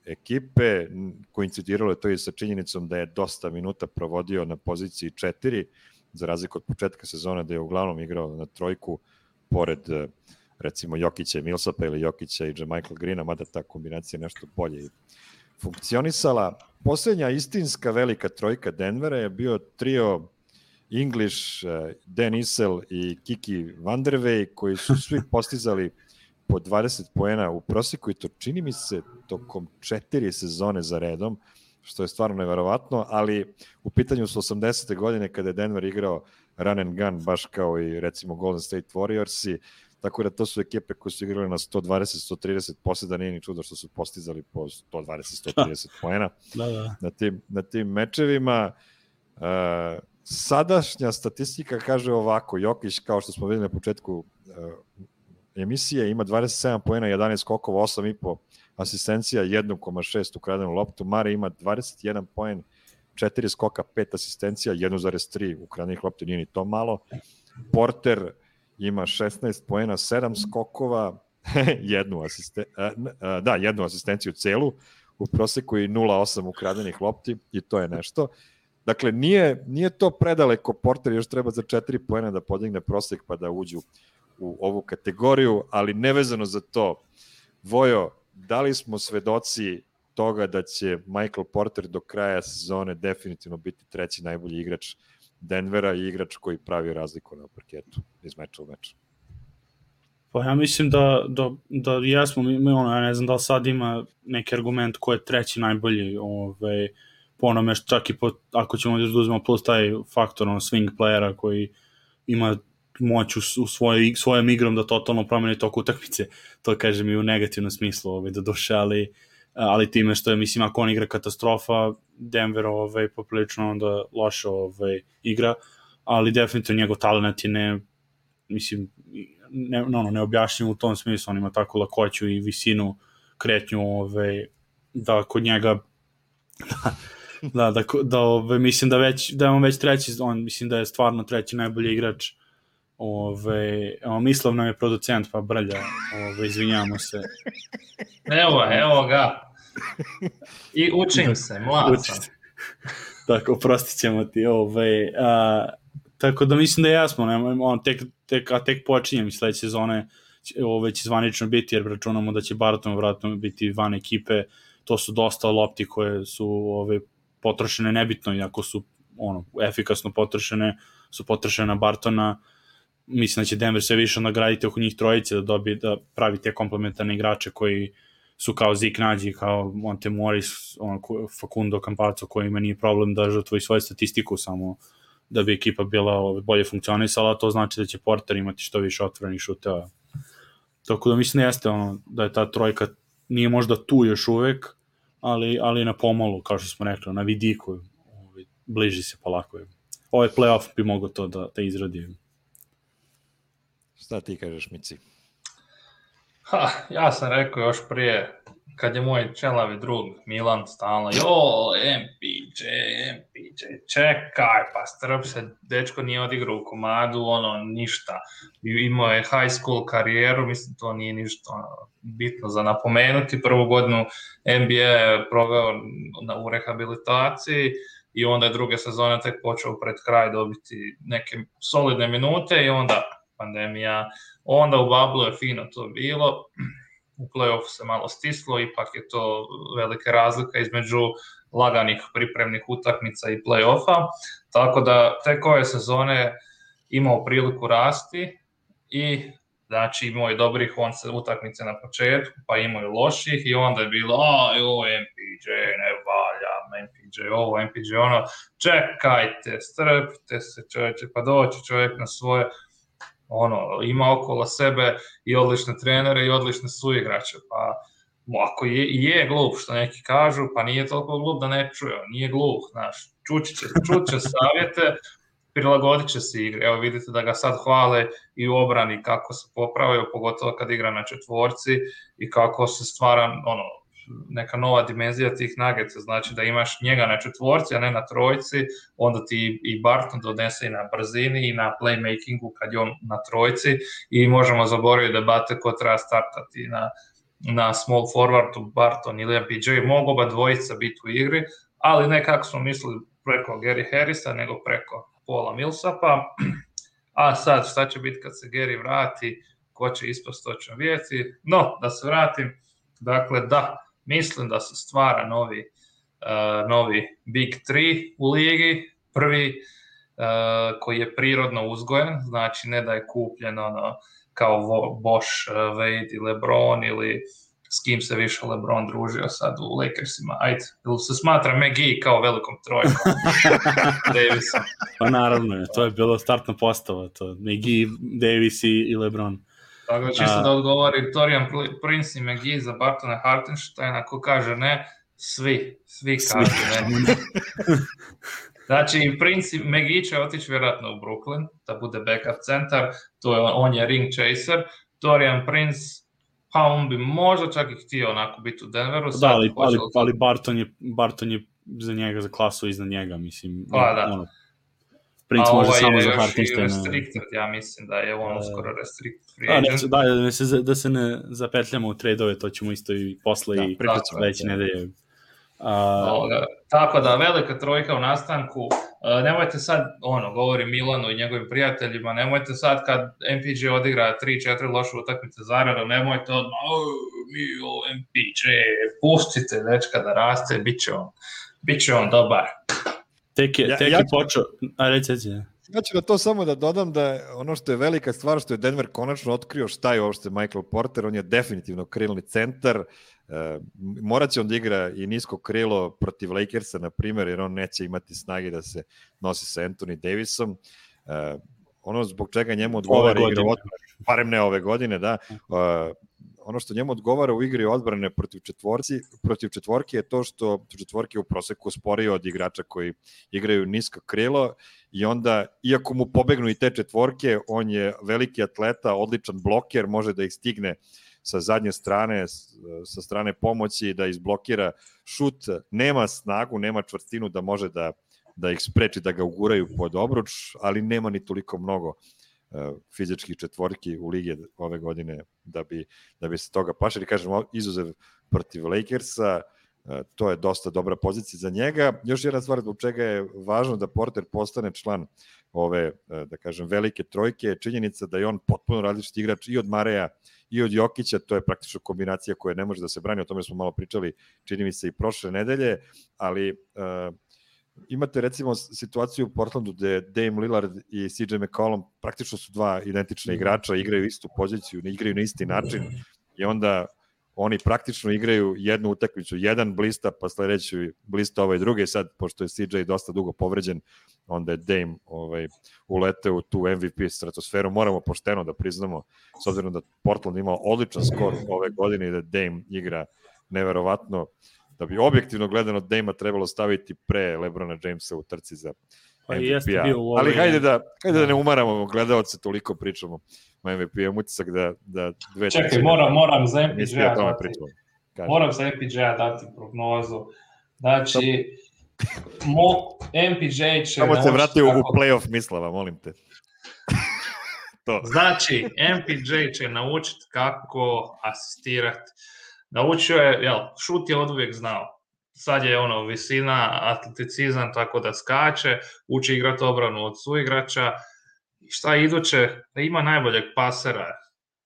ekipe, koincidiralo je to i sa činjenicom da je dosta minuta provodio na poziciji 4, za razliku od početka sezone da je uglavnom igrao na trojku, pored recimo Jokića i Millsapa ili Jokića i Michael Greena, mada ta kombinacija nešto bolje funkcionisala. Posljednja istinska velika trojka Denvera je bio trio English, Dan Issel i Kiki Vandervej, koji su svi postizali po 20 poena u prosjeku i to čini mi se tokom 4 sezone za redom, što je stvarno neverovatno, ali u pitanju su 80. godine kada je Denver igrao run and gun, baš kao i recimo Golden State Warriorsi, tako da to su ekipe koje su igrali na 120-130, posle da nije ni čudo što su postizali po 120-130 poena na tim mečevima. Sadašnja statistika kaže ovako, Jokić, kao što smo videli na početku emisije, ima 27 poena, 11 skokova, 8,5 asistencija, 1,6 ukradenu loptu. Mare ima 21 poen, 4 skoka, 5 asistencija, 1,3 ukradenih loptu, nije ni to malo. Porter ima 16 poena, 7 skokova, jednu asistenciju celu, u proseku i 0,8 ukradenih lopti i to je nešto. Dakle, nije to predaleko, Porter još treba za 4 poena da podigne prosek pa da uđu u ovu kategoriju, ali nevezano za to, Vojo, da li smo svedoci toga da će Michael Porter do kraja sezone definitivno biti treći najbolji igrač Denvera i igrač koji pravi razliku na parketu iz meča u meču? Pa ja mislim da jesmo, ja ne znam da li sad ima neki argument ko je treći najbolji po onome, čak i ako ćemo da uzmemo plus taj faktor swing playera koji ima moć u svojom igrom da totalno promeni tok utakmice, to kažem i u negativnom smislu do duše, ali time što je, mislim, ako on igra katastrofa, Denver poprilično onda loše igra, ali definitivno njegov talent je neobjašnjiv u tom smislu, on ima takvu lakoću i visinu kretnju da kod njega mislim da je on već treći, mislim da je stvarno treći najbolji igrač. Mislav nam je producent, pa brlja, izvinjamo se. Evo ga. I učim se, mlad sam. Tako, oprostit ćemo ti. Tako da mislim da je jasno, tek počinjem sledeće sezone, će zvanično biti, jer računamo da će Barton vratno biti van ekipe, to su dosta lopti koje su potrošene nebitno, iako su efikasno potrošene, su potrošene na Bartona. Mislim da će Denver sve više nagraditi oko njih trojice, da pravi te komplementarne igrače koji su kao Zeke Nađi, kao Monte Morris, Facundo Campazzo, kojima nije problem da žrtvoji svoju statistiku, samo da bi ekipa bila bolje funkcionisala, to znači da će Porter imati što više otvorenih šuteva. Tako da mislim da jeste da je ta trojka nije možda tu još uvek, ali na pomolu, kao što smo rekli, na vidiku, bliži se polako. Ovaj playoff bi mogo to da izradi. Šta ti kažeš, Mici? Ja sam rekao još prije, kad je moj čelavi drug Milan stalno, MPJ, čekaj, pa strp se, dečko nije odigrao u komadu, ništa. Imao je high school karijeru, mislim, to nije ništa bitno za napomenuti. Prvu godinu NBA je proveo u rehabilitaciji i onda je druge sezone tek počeo pred kraj dobiti neke solidne minute i onda pandemija, onda u bablu je fino to bilo, u play-offu se malo stislo, ipak je to velika razlika između laganih pripremnih utakmica i play-offa, tako da tek ove sezone imao priliku rasti i znači imao je dobrih utakmice na početku, pa imao je loših i onda je bilo, MPJ ne valja, MPJ ovo, MPJ ono, čekajte, strpite se čovječe, pa doći čovjek na svoje, ima okolo sebe i odlične trenere i odlične suigrače, pa ako je glup što neki kažu, pa nije toliko glup da ne čuje, nije glup, znaš, čut će savjete, prilagodit će se igre, evo vidite da ga sad hvale i u obrani kako se popravaju, pogotovo kad igra na četvorci i kako se stvara neka nova dimenzija tih Nuggetsa, znači da imaš njega na četvorci, a ne na trojci, onda ti i Barton donese i na brzini i na playmakingu kad je on na trojci i možemo zaboraviti debate ko treba startati na small forwardu Barton ili MPJ, mogu oba dvojica biti u igri, ali ne kako smo mislili preko Gary Harrisa, nego preko Paula Millsapa. A sad, šta će biti kad se Gary vrati, ko će ispast, to ćemo vidjeti. No, da se vratim, dakle da, mislim da se stvara novi Big 3 u ligi. Prvi koji je prirodno uzgojen, znači ne da je kupljen kao Bosch, Wade i LeBron ili s kim se više LeBron družio sad u Lakersima. Ajde, ili se smatra McGee kao velikom trojkom Davisom? Pa naravno, to je bilo startna postava, to McGee, Davis i LeBron. Tako da čisto da odgovori Torian Prince i McGee za Bartona Hartensteina, ko kaže ne, svi kažu ne. Znači, Prince i McGee će otići vjerojatno u Brooklyn, da bude backup centar, on je ring chaser. Torian Prince, pa on bi možda čak i htio onako biti u Denveru. Da, ali Barton je za njega, za klasu iznad njega, mislim. Pa da. Prince može samo za Hartensteina. Restricted, ja mislim da je on uskoro restricted free agent. Da se ne zapetljamo u trade-ove, to ćemo isto i posle i sledeće nedelje. Tako da, velika trojka u nastanku. Nemojte sad, govori Milanu i njegovim prijateljima, nemojte sad kad MPJ odigra 3-4 loše utakmice zaredom, nemojte odmah, MPJ, pustite dečka da raste, bit će on dobar. Tek je počeo, reći. Ja ću na to samo da dodam da ono što je velika stvar, što je Denver konačno otkrio šta je uopšte Michael Porter, on je definitivno krilni centar, morat će on da igra i nisko krilo protiv Lakersa, na primjer, jer on neće imati snage da se nosi sa Anthony Davisom. Ono zbog čega njemu odgovara igra odbrane, barem ne ove godine, da, ono što njemu odgovara u igri odbrane protiv četvorke je to što četvorke u proseku sporije od igrača koji igraju nisko krilo i onda, iako mu pobegnu i te četvorke, on je veliki atleta, odličan bloker, može da ih stigne sa zadnje strane, sa strane pomoći, da izblokira šut, nema snagu, nema čvrstinu da može da ih spreči, da ga uguraju pod obruč, ali nema ni toliko mnogo fizičkih četvorki u ligi ove godine da bi se toga pašali. Kažem, izuzev protiv Lakersa, to je dosta dobra pozicija za njega. Još jedna stvar zbog čega je važno da Porter postane član ove, da kažem, velike trojke, je činjenica da je on potpuno različit igrač i od Mareja i od Jokića, to je praktično kombinacija koja ne može da se brani, o tome smo malo pričali, čini mi se i prošle nedelje, ali imate recimo situaciju u Portlandu gde Dame Lillard i CJ McCollum praktično su dva identična igrača, igraju istu poziciju, ne igraju na isti način i onda oni praktično igraju jednu utakmicu, jedan blista, pa sledeći blista ovaj drugi, sad pošto je CJ dosta dugo povređen, onda je Dame uleteo u tu MVP stratosferu. Moramo pošteno da priznamo, s obzirom da Portland imao odličan skor ove godine i da Dame igra neverovatno, da bi objektivno gledano Dame-a trebalo staviti pre LeBrona Jamesa u trci za MVP-a. Ali hajde da ne umaramo gledalce, toliko pričamo o MVP-a, imam utisak da dve... Čekaj, moram za MPJ-a dati. Moram za MPJ-a dati prognozu. Znači, MPJ će... Samo se vratio u play-off Mislava, molim te. Znači, MPJ će naučiti kako asistirati. Naučio je, šut je oduvijek znao. Sad je visina, atleticizam, tako da skače, uči igrati obranu od suigrača. Šta je iduće? Da ima najboljeg pasera,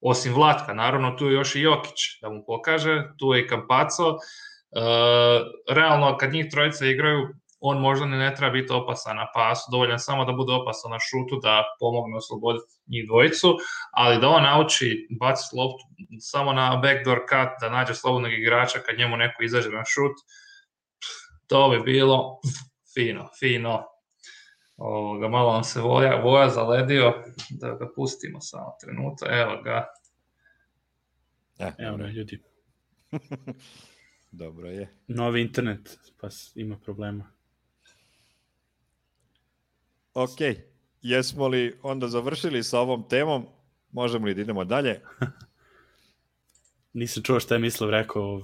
osim Vlatka. Naravno, tu je još i Jokić da mu pokaže, tu je i Campazzo. Realno, kad njih trojica igraju, on možda ne treba biti opasan na pasu, dovoljan samo da bude opasan na šutu, da pomogne osloboditi njih dvojicu, ali da on nauči baciti loptu samo na backdoor cut, da nađe slobodnog igrača kad njemu neko izađe na šut, to bi bilo fino. Malo nam se voja zaledio, da ga pustimo samo trenutak, evo ga. Evo ljudi. Dobro je. Novi internet, pa ima problema. Ok, jesmo li onda završili sa ovom temom? Možemo li da idemo dalje? Nisam čuo šta je Mislav rekao.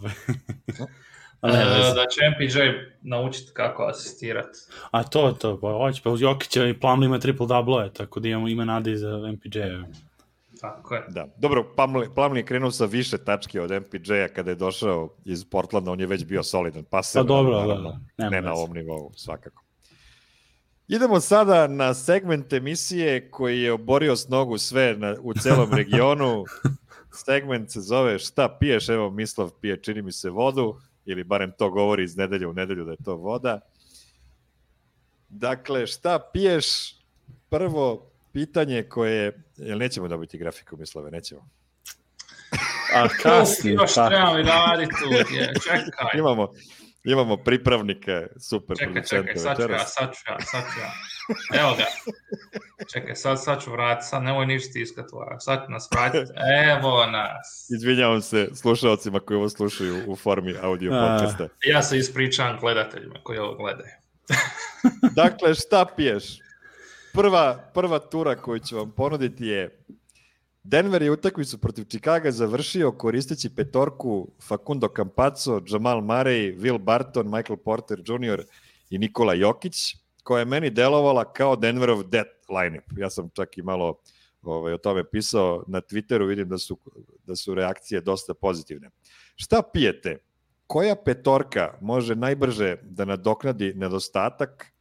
Da će MPJ naučiti kako asistirati. A to, pa hoće, pa uz Jokića i Plumlee ima triple-double, tako da ima nade za MPJ-a. Tako je. Da. Dobro, Plumlee je krenuo sa više tačke od MPJ-a kada je došao iz Portlanda, on je već bio solidan paser, Pa dobro, naravno, da, ne na ovom nivou, svakako. Idemo sada na segment emisije koji je oborio s nogu sve u celom regionu. Segment se zove Šta piješ? Evo, Mislav pije, čini mi se, vodu, ili barem to govori iz nedelje u nedelju da je to voda. Dakle, šta piješ? Prvo pitanje koje... Jel nećemo dobiti grafiku, Mislave? Nećemo. A kasnije. Još trebam i raditi tu, čekaj. Imamo pripravnike, super producente. Čekaj, sad ću ja. Evo ga. Čekaj, sad ću vratiti, sad nemoj ništa stiskati, sad ću nas vratiti. Evo nas. Izvinjavam se slušalcima koji ovo slušaju u formi audio podcasta. Ja se ispričavam gledateljima koji ovo gledaju. Dakle, šta piješ? Prva tura koju ću vam ponuditi je Denver je utakmicu protiv Chicaga završio koristeći petorku Facundo Campazzo, Jamal Murray, Will Barton, Michael Porter Jr. i Nikola Jokić, koja je meni delovala kao Denverov death lineup. Ja sam čak i malo o tome pisao na Twitteru, vidim da su reakcije dosta pozitivne. Šta pijete? Koja petorka može najbrže da nadoknadi nedostatak,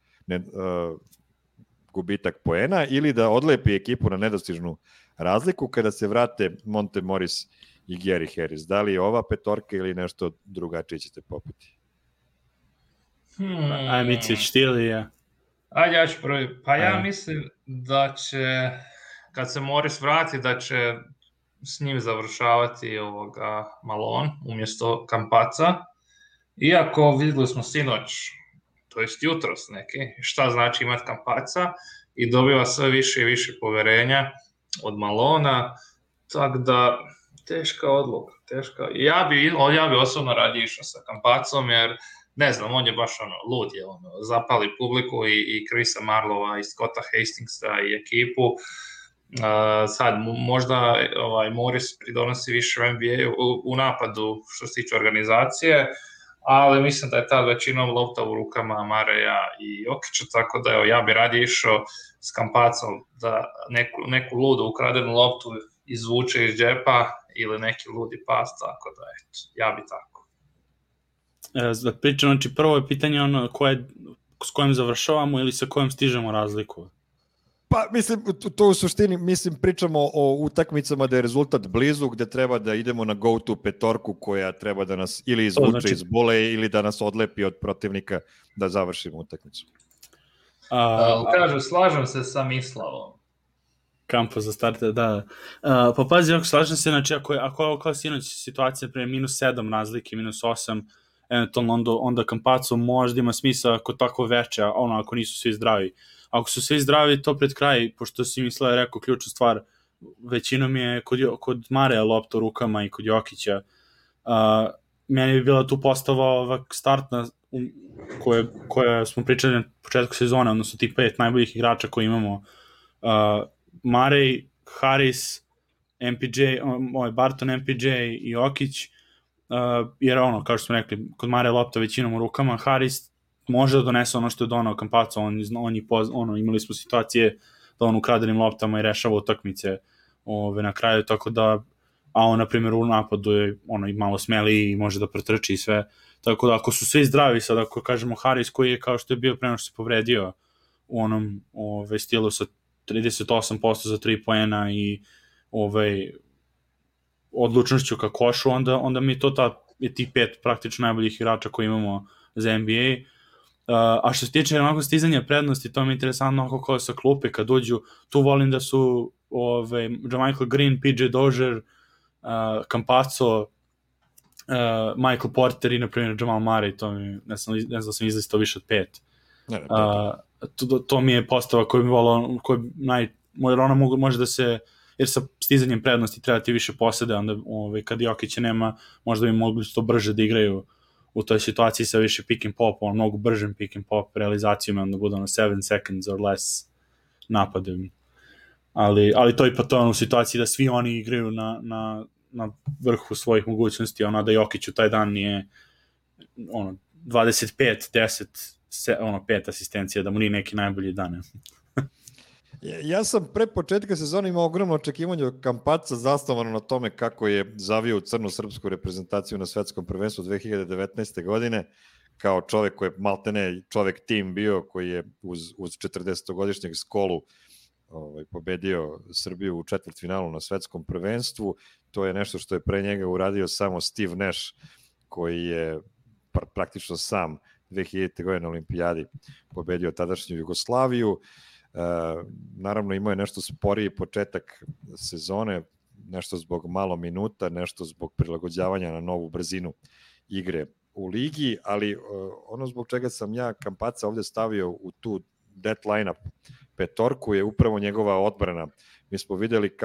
gubitak poena ili da odlepi ekipu na nedostižnu razliku kada se vrate Monte Morris i Gary Harris? Da li je ova petorka ili nešto drugačije ćete popiti? Micić, ti ili ja? Ajde, ja ću prvi. Pa ja mislim da će, kad se Morris vrati, da će s njim završavati Malone umjesto Campazza. Iako vidjeli smo sinoć, to jest jutros neki, šta znači imati Campazza i dobiva sve više i više poverenja od Malona, tako da teška odluka. Ja bi osobno radije išao sa Campazzom, jer ne znam, on je baš lud je, zapali publiku i Chrisa Marlova i Scotta Hastingsa i ekipu. Sad možda Morris pridonosi više u NBA u napadu što se tiče organizacije, ali mislim da je tad većinom lopta u rukama Murraya i Jokića, tako da ja bi radije išao s Campazzom da neku ludu ukradenu loptu izvuče iz džepa ili neki ludi pas, tako da ja bi tako. Da pričam, znači prvo je pitanje s kojim završavamo ili sa kojim stižemo razliku? Pa, mislim, to u suštini, pričamo o utakmicama da je rezultat blizu, gde treba da idemo na go-to petorku koja treba da nas ili izvuče iz bole ili da nas odlepi od protivnika da završimo utakmicu. Kažu, slažem se sa Mislavom. Kampo za starte, da. Pa pazi, ako slažem se, znači ako je kao sinoć situacija pre -7 razlike, -8, eventualno onda Campazzo možda ima smisla ako tako veće, ako nisu svi zdravi. Ako su svi zdravi, to pred kraj, pošto si Mislav rekao ključnu stvar, većinom je kod Mareja lopta u rukama i kod Jokića. Meni bi bila tu postava startna koja smo pričali na početku sezone, odnosno ti 5 najboljih igrača koji imamo. Murray, Harris, Barton, MPJ i Jokić, jer kao što smo rekli, kod Mareja lopta većinom u rukama, Harris može da donese ono što je donao Campazzo, imali smo situacije da on ukradenim loptama i rešava utakmice na kraju, tako da, a on, na primjer, u napadu je i malo smeliji i može da pretrči i sve, tako da ako su svi zdravi, sad ako kažemo Harris koji je kao što je bio pre nego što se povredio u onom stilu sa 38% za 3 poena i odlučnošću ka košu, onda mi je tih 5 praktično najboljih igrača koji imamo za NBA. A što se tiče onako stizanja prednosti, to mi je interesantno ako kao sa klupe kad uđu, tu volim da su Michael Green, PJ Dozier, Campazzo, Michael Porter i na primjer Jamal Murray, to mi, ne znam da sam izlistao više od 5. To mi je postava koju mi volao, jer ona može da se, jer sa stizanjem prednosti treba ti više posede, onda kad Jokića nema, možda bi mogli to brže da igraju u toj situaciji sa više pick and pop, mnogo bržim pick and pop realizacijama, onda bude 7 seconds or less napadom. Ali to je pa to u situaciji da svi oni igraju na vrhu svojih mogućnosti, da Jokić u taj dan nije 25, 10, 5 asistencija, da mu nije neki najbolji dan. Ja sam pre početka sezona imao ogromno očekivanje od Campazza zasnovano na tome kako je zavio u crnu srpsku reprezentaciju na svetskom prvenstvu 2019. godine, kao čovek koji je maltene čovek tim bio, koji je uz 40-godišnjeg Skolu pobedio Srbiju u četvrtfinalu na svetskom prvenstvu. To je nešto što je pre njega uradio samo Steve Nash, koji je praktično sam 2000. godine na olimpijadi pobedio tadašnju Jugoslaviju. Naravno imao je nešto sporiji početak sezone, nešto zbog malo minuta, nešto zbog prilagođavanja na novu brzinu igre u ligi, ali ono zbog čega sam ja Campazza ovde stavio u tu death line-up petorku je upravo njegova odbrana. Mi smo videli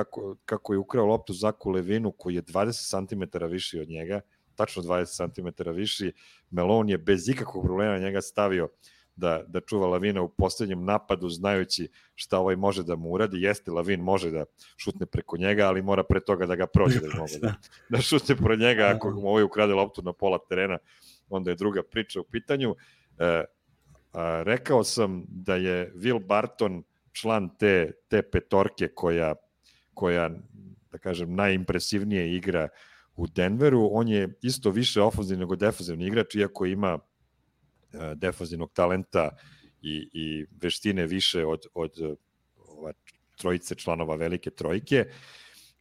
kako je ukrao loptu Zaku Levinu, koji je 20 cm viši od njega, tačno 20 cm viši. Melon je bez ikakvog problema njega stavio da čuva Lavina u poslednjem napadu, znajući šta ovaj može da mu uradi. Jeste, Lavin može da šutne preko njega, ali mora pre toga da ga prođe da mogu da šutne pro njega. Ako mu ovaj ukrade loptu na pola terena, onda je druga priča u pitanju. Rekao sam da je Will Barton član te petorke koja, da kažem, najimpresivnije igra u Denveru. On je isto više ofenzivni nego defenzivni igrač, iako ima defenzivnog talenta i veštine više od trojice članova velike trojke.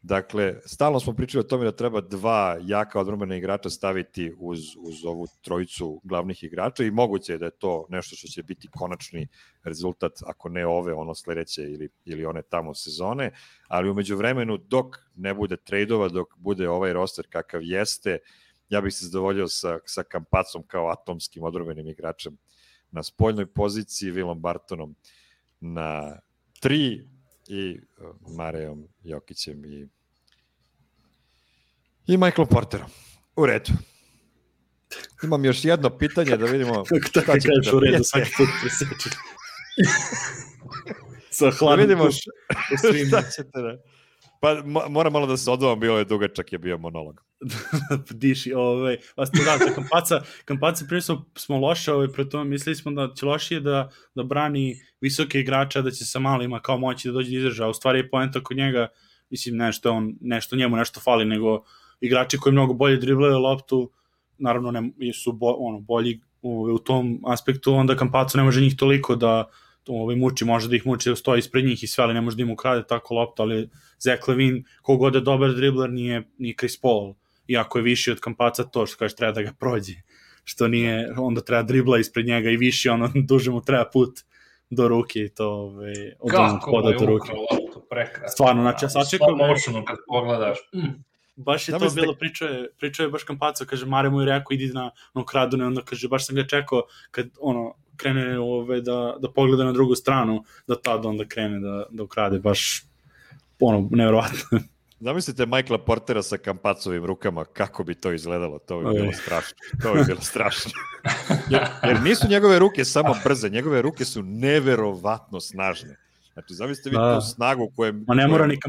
Dakle, stalno smo pričali o tome da treba dva jaka odbrambena igrača staviti uz ovu trojicu glavnih igrača i moguće je da je to nešto što će biti konačni rezultat, ako ne ove, ono sledeće ili one tamo sezone, ali umeđu vremenu dok ne bude trejdova, dok bude ovaj roster kakav jeste, ja bih se zadovoljio sa Campazzom kao atomskim odbrambenim igračem na spoljnoj poziciji, Willom Bartonom na 3 i Marejom Jokićem i Michaelom Porterom. U redu. Imam još jedno pitanje da vidimo šta ćete da prijete. Svaki put presečeš. Sa hladom. Da vidimo šta ćete da... Pa moram malo da se odvovam, bilo je dugačak, je bio monolog. Diši, vas to da, Campazza prije smo loše, pre tome mislili smo da će lošije da brani visoke igrača, da će sa malima kao moći da dođe do izražaja. U stvari je poenta kod njega, mislim, nešto njemu nešto fali, nego igrači koji mnogo bolje driblaju loptu, naravno su bolji u tom aspektu, onda Campazzo ne može njih toliko da muči, može da ih muči da stoji ispred njih i sve, ali ne može da im ukrade tako loptu, ali Zach Levine, kogod je dobar dribler, nije Chris Paul, iako je viši od Campazza, to što kažeš treba da ga prođe, što nije, onda treba dribla ispred njega i viši, ono duže mu treba put do ruke i to kako mu je ukrao loptu, prekrasno. Stvarno, znači ja sačekam kad pogledaš. Baš je to bilo, pričao je baš Campazzo, kaže Mare mu je rekao idi na ukradune, onda kaže baš sam ga čekao kad krene da pogleda na drugu stranu, da tad onda krene da ukrade, baš nevjerovatno. Zamislite Michaela Portera sa Campazzovim rukama, kako bi to izgledalo, to bi bilo strašno. To bi bilo strašno. Jer nisu njegove ruke samo brze, njegove ruke su neverovatno snažne. Znači, zamislite vi tu snagu koje... Ma ne mora ni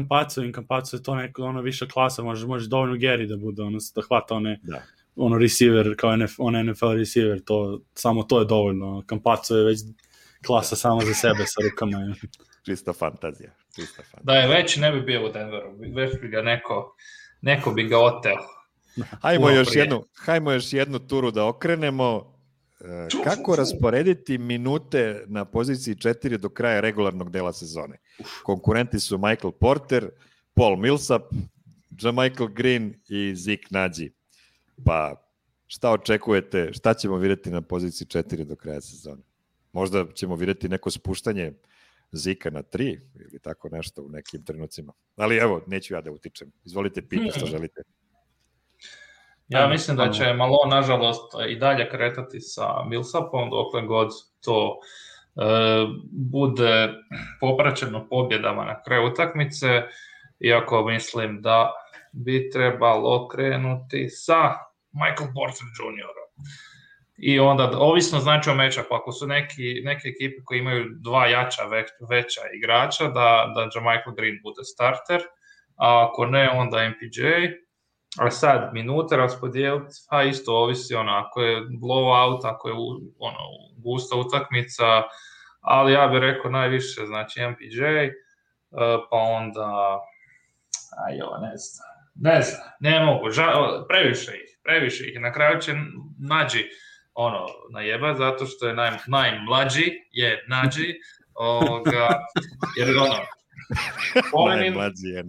Campazzo je to neko viša klasa, može dovoljno Gary da bude, da hvata receiver, kao NFL receiver, samo to je dovoljno. Campazzo je već klasa sama za sebe sa rukama. Čista fantazija. Da je već ne bi bio u Denveru, već bi ga neko bi ga oteo. Hajmo još jednu turu da okrenemo. Kako rasporediti minute na poziciji 4 do kraja regularnog dela sezone? Konkurenti su Michael Porter, Paul Millsap, JaMychal Green i Zeke Naji. Pa šta očekujete, šta ćemo vidjeti na poziciji 4 do kraja sezone? Možda ćemo vidjeti neko spuštanje Zika na 3 ili tako nešto u nekim trenucima. Ali evo, neću ja da utičem. Izvolite, pita što želite. Ja mislim da će malo, nažalost, i dalje kretati sa Millsapom, dokle god to bude popraćeno pobjedama na kraju utakmice, iako mislim da bi trebalo krenuti sa Michael Porter Jr. I onda, ovisno znači o matchupu, ako su neke ekipe koji imaju dva veća igrača, da JaMychal Green bude starter, a ako ne, onda MPJ. A sad, minute raspodijeliti, a isto ovisi, ako je blowout, ako je gusta utakmica, ali ja bih rekao najviše, znači MPJ, pa onda, ne znam, ne mogu, previše ih, na kraju će Nađi najebat, zato što je najmlađi, Nađi, jer najmlađi je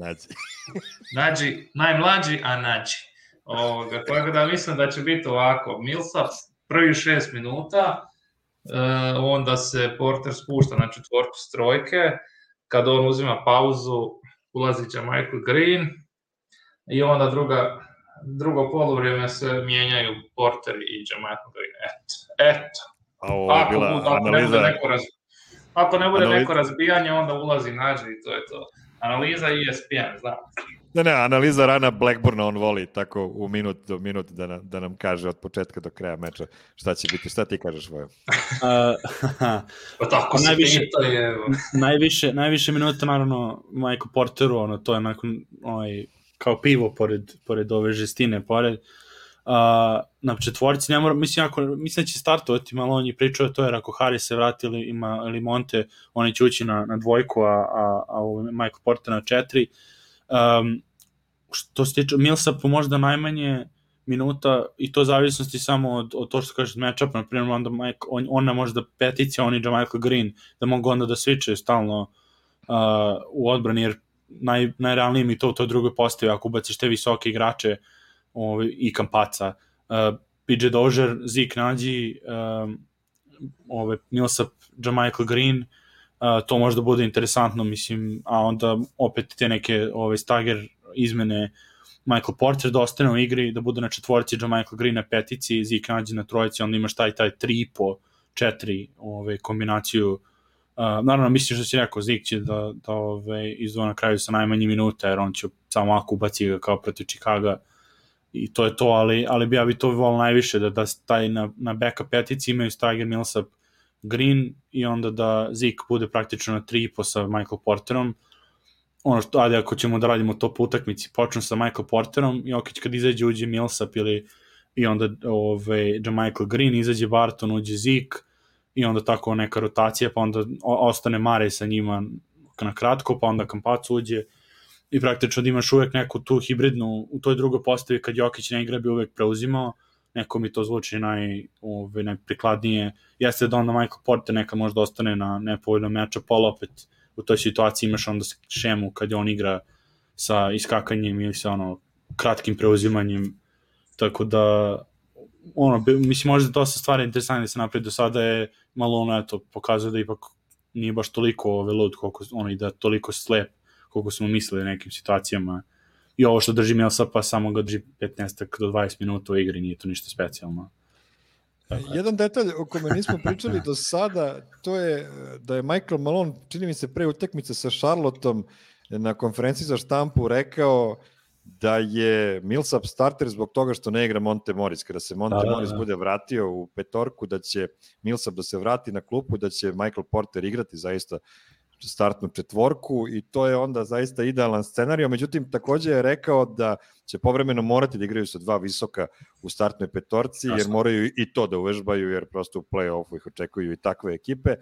Nađi. Najmlađi, a Nađi. Tako da mislim da će biti ovako, Millsap prvi 6 minuta, onda se Porter spušta na četvorku s trojke, kad on uzima pauzu, ulazi će Michael Green i onda drugo poluvrijeme se mijenjaju Porter i Michael Green. Eto. Ako ne bude neko razbijanje, onda ulazi Nađi i to je to. Analiza ESPN, znam. Ne, analiza rana Blackburna, on voli tako u minut do minut da nam kaže od početka do kraja meča šta će biti. Šta ti kažeš, Vojo? Pa tako se pita je. Najviše minuta, naravno, Michael Porteru, to je nakon kao pivo pored ove žestine, pored na četvorci, mislim da će startovati, malo on je pričao to, jer ako Harris se vrati ili Monte, oni će ući na dvojku, a Michael Porter na 4. Što se tiče Millsapu, možda najmanje minuta, i to zavisnosti samo od to što kažeš matchup, na primjer, onda ona možda peticija, on i Michael Green, da mogu onda da switchaju stalno u odbrani, jer najrealnije mi to u toj drugoj postavi, ako ubaciš te visoke igrače i Kampaca, PJ Dozier, Zeke Nađi, Millsap, Michael Green, to možda bude interesantno, mislim, a onda opet te neke stagger izmene, Michael Porter da ostane u igri, da bude na četvorci, Michael Green na petici, Zeke Nađi na trojici, onda imaš taj 3,5-4 kombinaciju. Naravno, mislim što si rekao, Zeke će da izdvoja na kraju sa najmanji minuta, jer on će samo ako ubaci ga kao protiv Chicaga i to je to, ali ja bi to volio najviše, da taj na backup petici imaju Steiger, Millsap, Green i onda da Zeke bude praktično na 3,5 sa Michael Porterom. Ajde, ako ćemo da radimo to po utakmici, počnu sa Michael Porterom i kad izađe uđe Millsap i onda Michael Green, izađe Barton, uđe Zeke i onda tako neka rotacija, pa onda ostane Mare sa njima na kratko, pa onda Kampac uđe i praktično da imaš uvek neku tu hibridnu u toj drugoj postavi, kad Jokić ne igra bi uvek preuzimao, neko mi to zvuči najprikladnije, jeste da onda Michael Porter neka možda ostane na nepovoljnom matchup, ali opet u toj situaciji imaš onda šemu kad on igra sa iskakanjem ili sa kratkim preuzimanjem, tako da mislim možda dosta stvari interesantne da se napravi do sada, je malo pokazuje da ipak nije baš toliko lud i da toliko slep koliko smo mislili nekim situacijama, i ovo što drži Millsapa samo ga drži 15 do 20 minuta u igri, nije to ništa specijalno. Jedan detalj o kome nismo pričali do sada, to je da je Michael Malone, čini mi se pre utakmice sa Charlotteom, na konferenciji za štampu rekao da je Millsap starter zbog toga što ne igra Monte Morris. Kada se Monte Morris bude vratio u petorku, da će Millsap da se vrati na klupu, da će Michael Porter igrati zaista startnu četvorku i to je onda zaista idealan scenario. Međutim, takođe je rekao da će povremeno morati da igraju sa dva visoka u startnoj petorci, jer moraju i to da uvežbaju, jer prosto u play-offu ih očekuju i takve ekipe.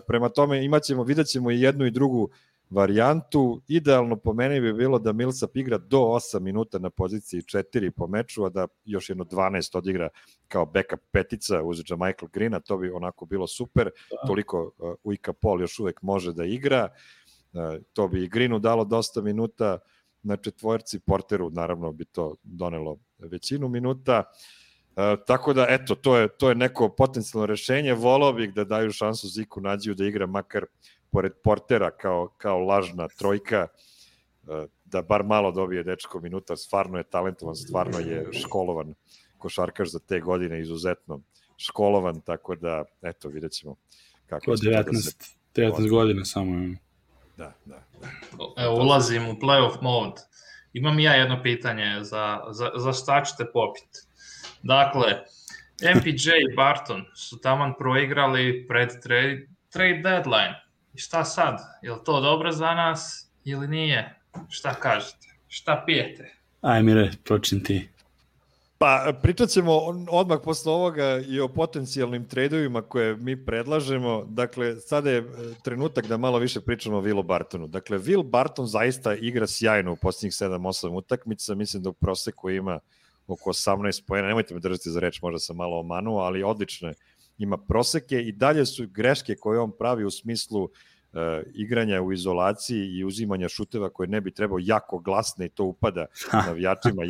Prema tome, vidjet ćemo i jednu i drugu varijantu. Idealno po meni bi bilo da Millsap igra do 8 minuta na poziciji 4 po meču, a da još jedno 12 odigra kao backup petica uz Michael Greena, to bi onako bilo super. Toliko Ujka Paul još uvek može da igra. To bi i Greenu dalo dosta minuta na četvorci, Porteru naravno bi to donelo većinu minuta. Tako da, eto, to je neko potencijalno rešenje. Volao bih da daju šansu Ziku Nađiju da igra makar pored Portera kao lažna trojka, da bar malo dobije dečko minuta, stvarno je talentovan, stvarno je školovan košarkaš za te godine, izuzetno školovan, tako da, eto, vidjet ćemo kako će to da se... 19 godina samo. Da. Evo, ulazim u playoff mode. Imam ja jedno pitanje za šta ćete popiti. Dakle, MPJ i Barton su taman proigrali pred trade deadline. I šta sad? Je li to dobro za nas ili nije? Šta kažete? Šta pijete? Aj, Mire, počni ti. Pa pričat ćemo odmah posle ovoga i o potencijalnim tradeovima koje mi predlažemo. Dakle, sada je trenutak da malo više pričamo o Willu Bartonu. Dakle, Will Barton zaista igra sjajno u posljednjih 7-8 utakmica. Mislim da u proseku ima oko 18 poena. Nemojte me držati za reč, možda sam malo omanuo, ali odlične ima proseke i dalje su greške koje on pravi u smislu igranja u izolaciji i uzimanja šuteva koje ne bi trebao jako glasne i to upada navijačima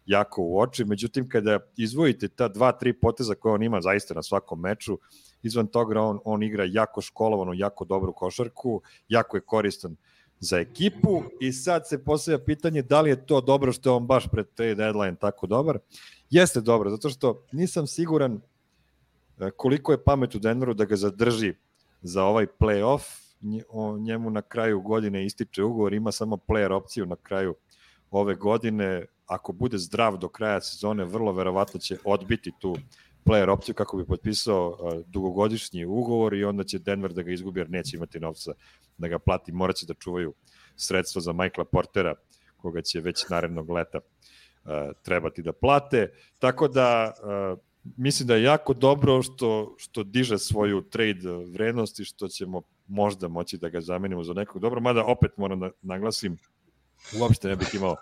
jako u oči. Međutim, kada izvojite ta 2-3 poteza koje on ima zaista na svakom meču, izvan toga on igra jako školovanu, jako dobru košarku, jako je koristan za ekipu i sad se postavlja pitanje da li je to dobro što je on baš pred trade deadline tako dobar. Jeste dobro, zato što nisam siguran koliko je pamet u Denveru da ga zadrži za ovaj play-off. Njemu na kraju godine ističe ugovor, ima samo player opciju na kraju ove godine. Ako bude zdrav do kraja sezone, vrlo verovatno će odbiti tu player opciju kako bi potpisao dugogodišnji ugovor i onda će Denver da ga izgubi jer neće imati novca da ga plati. Morat će da čuvaju sredstva za Michaela Portera, koga će već narednog leta trebati da plate. Tako da mislim da je jako dobro što diže svoju trade vrednost i što ćemo možda moći da ga zamenimo za nekog dobro, mada opet moram da naglasim, uopšte ne bih imao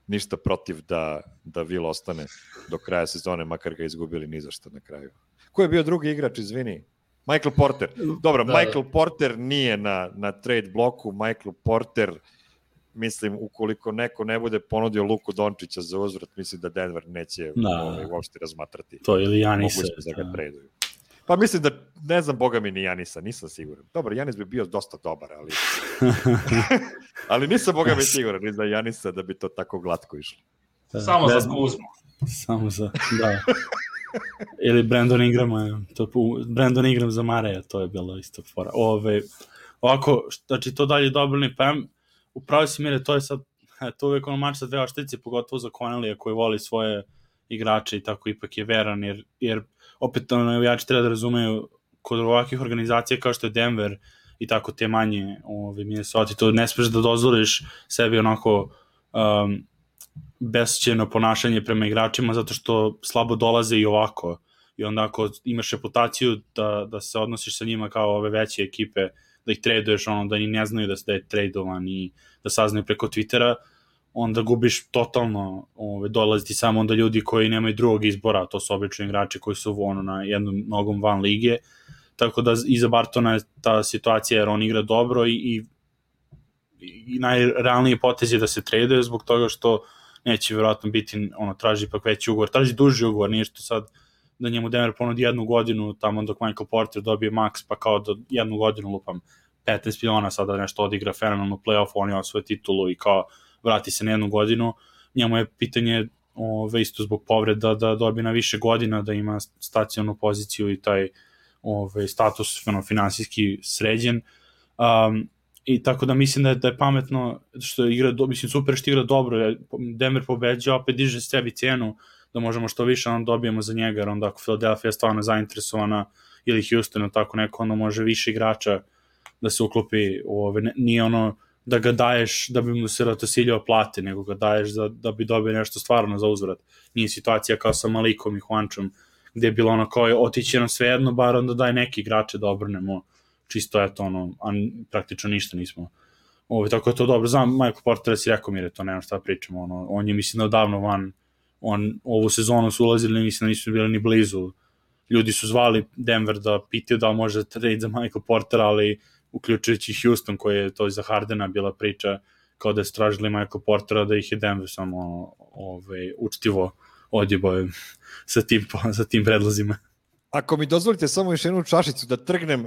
ništa protiv da Will ostane do kraja sezone, makar ga izgubili ni za što na kraju. Ko je bio drugi igrač, izvini? Michael Porter. Dobro, da, Michael Porter nije na trade bloku, Michael Porter, mislim, ukoliko neko ne bude ponudio Luku Dončića za uzvrat, mislim da Denver neće uopšte razmatrati. To ili Janisa. Da ga traduju. Pa mislim da, ne znam, boga mi ni Janisa, nisam siguran. Dobro, Janis bi bio dosta dobar, ali ali nisam boga mi siguran ni za Janisa da bi to tako glatko išlo. Samo za Kuzmu. Samo za, da. Ili Brandon Ingram za Mareja, to je bilo isto fora. Ovako, znači to dalje dobili, pa upravo si Mire, to je sad, to uvijek ono mač sa dve oštrice, pogotovo za Connellija koji voli svoje igrače i tako ipak je veran, jer opet navijači treba da razumeju kod ovakvih organizacija kao što je Denver i tako te manje Minnesota, to ne smiješ da dozvoliš sebi onako besćeno ponašanje prema igračima zato što slabo dolaze i ovako. I onda ako imaš reputaciju da se odnosiš sa njima kao ove veće ekipe, da ih traduješ, da ni ne znaju da je tradovan i da saznaju preko Twittera, onda gubiš totalno, dolaziti samo onda ljudi koji nemaju drugog izbora, to su obično igrači koji su na jednom nogom van lige, tako da iza Bartona je ta situacija jer on igra dobro i najrealnije potez je da se traduje zbog toga što neće vjerojatno biti, traži ipak veći ugovor, traži duži ugovor, nije što sad da njemu Denver ponudi 1 godinu, tamo dok Michael Porter dobije max, pa kao do 1 godinu lupam 15 miliona, sada nešto odigra fenomenalno play-off, on je osvoje titulu i kao vrati se na 1 godinu, njemu je pitanje isto zbog povreda da dobije na više godina, da ima stacionalnu poziciju i taj status finansijski sređen. I tako da mislim da je pametno što igra, mislim super što igra dobro, Denver pobeđa, opet diže sebi cenu da možemo što više dobijemo za njega, jer onda ako Philadelphia je stvarno zainteresovana ili Houston tako neko, onda može više igrača da se uklopi, nije da ga daješ da bi mu se Ratosiljao plate, nego ga daješ da bi dobio nešto stvarno za uzvrat. Nije situacija kao sa Malikom i Juančom, gde je bilo kao otići nam svejedno, bar onda daj neki igrače da obrnemo, čisto a praktično ništa nismo. Tako je to dobro. Znam, Michael Porter si rekao mi to, nema šta pričamo, on je mislim da odavno van, ovu sezonu su ulazili, mislim da nisu bili ni blizu. Ljudi su zvali Denver da pitaju da može trade za Michael Porter, ali uključujući Houston koji je to za Hardena bila priča kao da je stražili Michael Portera, da ih je Denver samo učtivo odjebao sa tim predlozima. Ako mi dozvolite samo još jednu čašicu da trgnem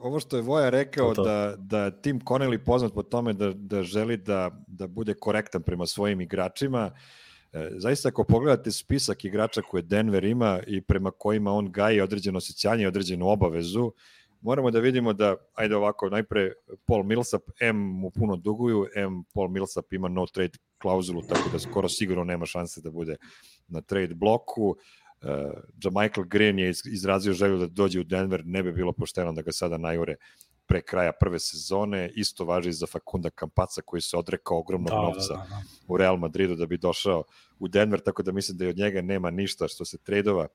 ovo što je Voja rekao, da Tim Connelly poznat po tome da želi da bude korektan prema svojim igračima. Zaista ako pogledate spisak igrača koje Denver ima i prema kojima on gaji određeno osjećanje i određenu obavezu, moramo da vidimo da, ajde ovako, najpre Paul Millsap, mu puno duguju, Paul Millsap ima no trade klauzulu, tako da skoro sigurno nema šanse da bude na trade bloku. JaMychal Green je izrazio želju da dođe u Denver, ne bi bilo pošteno da ga sada najure pre kraja prve sezone, isto važi za Facunda Campazza koji se odrekao ogromnog novca u Real Madridu da bi došao u Denver, tako da mislim da i od njega nema ništa što se tradova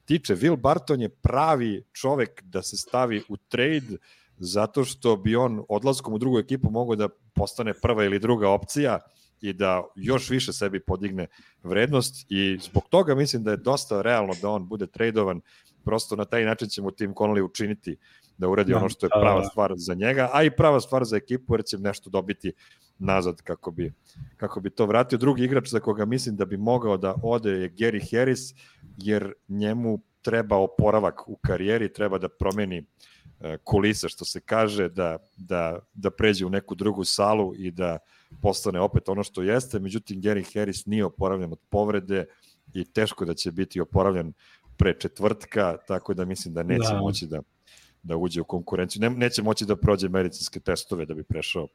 tiče. Will Barton je pravi čovek da se stavi u trade zato što bi on odlaskom u drugu ekipu mogao da postane prva ili druga opcija i da još više sebi podigne vrednost i zbog toga mislim da je dosta realno da on bude tradovan, prosto na taj način će mu Tim Connolly učiniti da uradi ono što je prava stvar za njega, a i prava stvar za ekipu jer će nešto dobiti nazad kako bi to vratio. Drugi igrač za koga mislim da bi mogao da ode je Gary Harris, jer njemu treba oporavak u karijeri, treba da promeni kulisa, što se kaže, da pređe u neku drugu salu i da postane opet ono što jeste. Međutim, Gary Harris nije oporavljen od povrede i teško da će biti oporavljen pre četvrtka, tako da mislim da neće moći da uđe u konkurenciju. Neće moći da prođe medicinske testove da bi prešao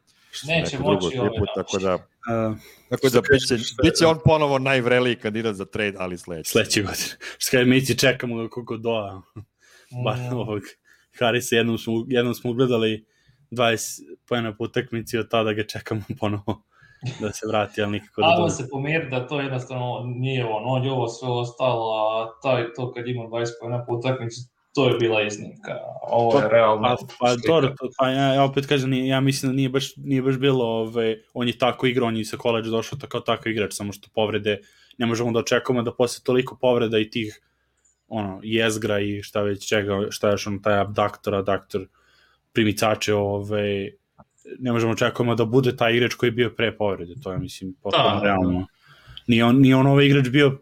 neku drugu ekipu, tako da biće on ponovo najvreliji kandidat za trade, ali sledeće godine. Što kada mi ti čekamo kako doa ovog Harrisa, jednom smo ugledali 20 pojena po utakmici, od tada ga čekamo ponovo da se vrati, ali nikako da dođe. Se pomeri da to jednostavno nije on je ovo sve ostalo, a to kad ima 20 pojena po utakmici, to je bila iznimka. Ovo je realno ja opet kažem, ja mislim da nije baš bilo, on je tako igrao, on je sa koleđa došao kao tako igrač, samo što povrede, ne možemo da očekujemo da posle toliko povreda i tih jezgra i šta već čega, šta još taj abdaktor primicače, ne možemo očekujemo da bude taj igrač koji je bio pre povrede, to je mislim potpuno realno. Nije on ovaj igrač bio,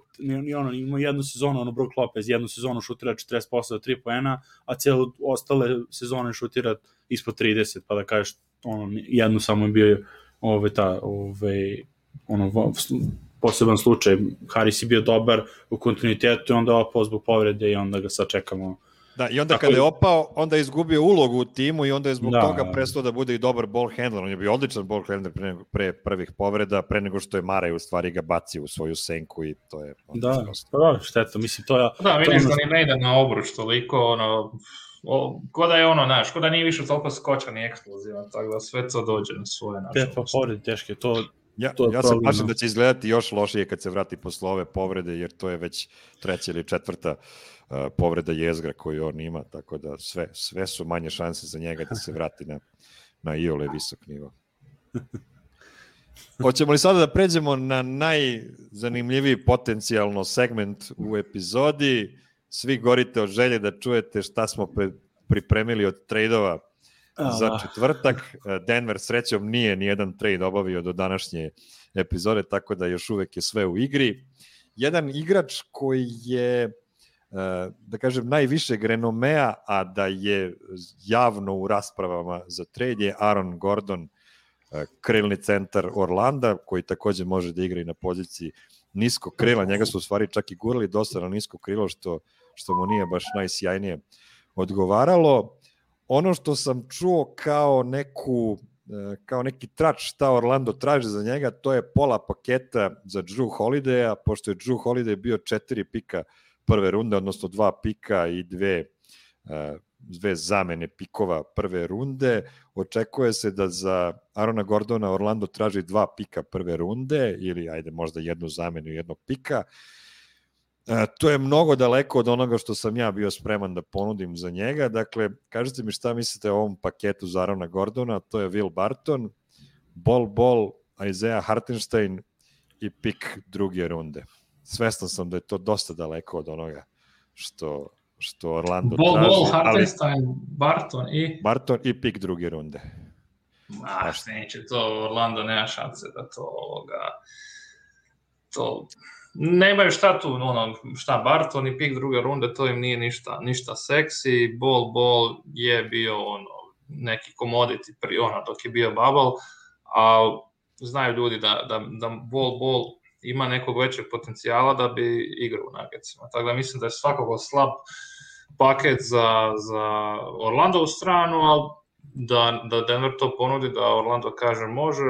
imao jednu sezonu, Brook Lopez, jednu sezonu šutira 40% od 3 poena, a cijelo ostale sezone šutira ispod 30, pa da kažeš, jednu samo je bio poseban slučaj. Harris je bio dobar u kontinuitetu i onda je opao zbog povrede i onda ga sad čekamo. Da, i onda kada je opao, onda je izgubio ulogu u timu i onda je zbog toga prestao da bude i dobar ball handler. On je bio odličan ball handler pre prvih povreda, pre nego što je Maraj u stvari ga bacio u svoju senku i to je... šteta, mislim, to je... Da, vidiš da ni ne ide na obruč toliko, ko da je ko da nije više toliko skočan i eksplozivan, tako da sve to dođe na svoje način. Povrede teške, Ja se plašim da će izgledati još lošije kad se vrati posle ove povrede, jer to je već 3. ili 4. povreda jezgra koju on ima, tako da sve su manje šanse za njega da se vrati na iole visok nivo. Hoćemo li sada da pređemo na najzanimljiviji potencijalno segment u epizodi? Svi gorite od želje da čujete šta smo pripremili od trejdova za četvrtak. Denver srećom nije ni jedan trade obavio do današnje epizode, tako da još uvek je sve u igri. Jedan igrač koji je, da kažem, najvišeg renomea, a da je javno u raspravama za trade, je Aaron Gordon, krilni centar Orlanda, koji takođe može da igra i na poziciji nisko krila. Njega su u stvari čak i gurali dosta na nisko krilo, što mu nije baš najsjajnije odgovaralo. Ono što sam čuo kao neki trač šta Orlando traži za njega, to je pola paketa za Jrue Holidaya, pošto je Jrue Holiday bio 4 pika prve runde, odnosno 2 pika i dve zamene pikova prve runde. Očekuje se da za Aarona Gordona Orlando traži 2 pika prve runde ili možda jednu zamenu i jednog pika. To je mnogo daleko od onoga što sam ja bio spreman da ponudim za njega. Dakle, kažete mi šta mislite o ovom paketu za Aarona Gordona. To je Will Barton, Bol, Isaiah Hartenstein i pik druge runde. Svestan sam da je to dosta daleko od onoga što Orlando traži. Bol, Hartenstein, Barton i pik druge runde. Neće to, Orlando nema šanse da to nemaju šta tu, šta Barton i pik druge runde, to im nije ništa seksi. Bol je bio neki commodity dok je bio bubble, a znaju ljudi da Bol ima nekog većeg potencijala da bi igrao u Nuggetsima. Tako da mislim da je svakako slab paket za Orlandovu stranu, ali da Denver to ponudi, da Orlando kaže može,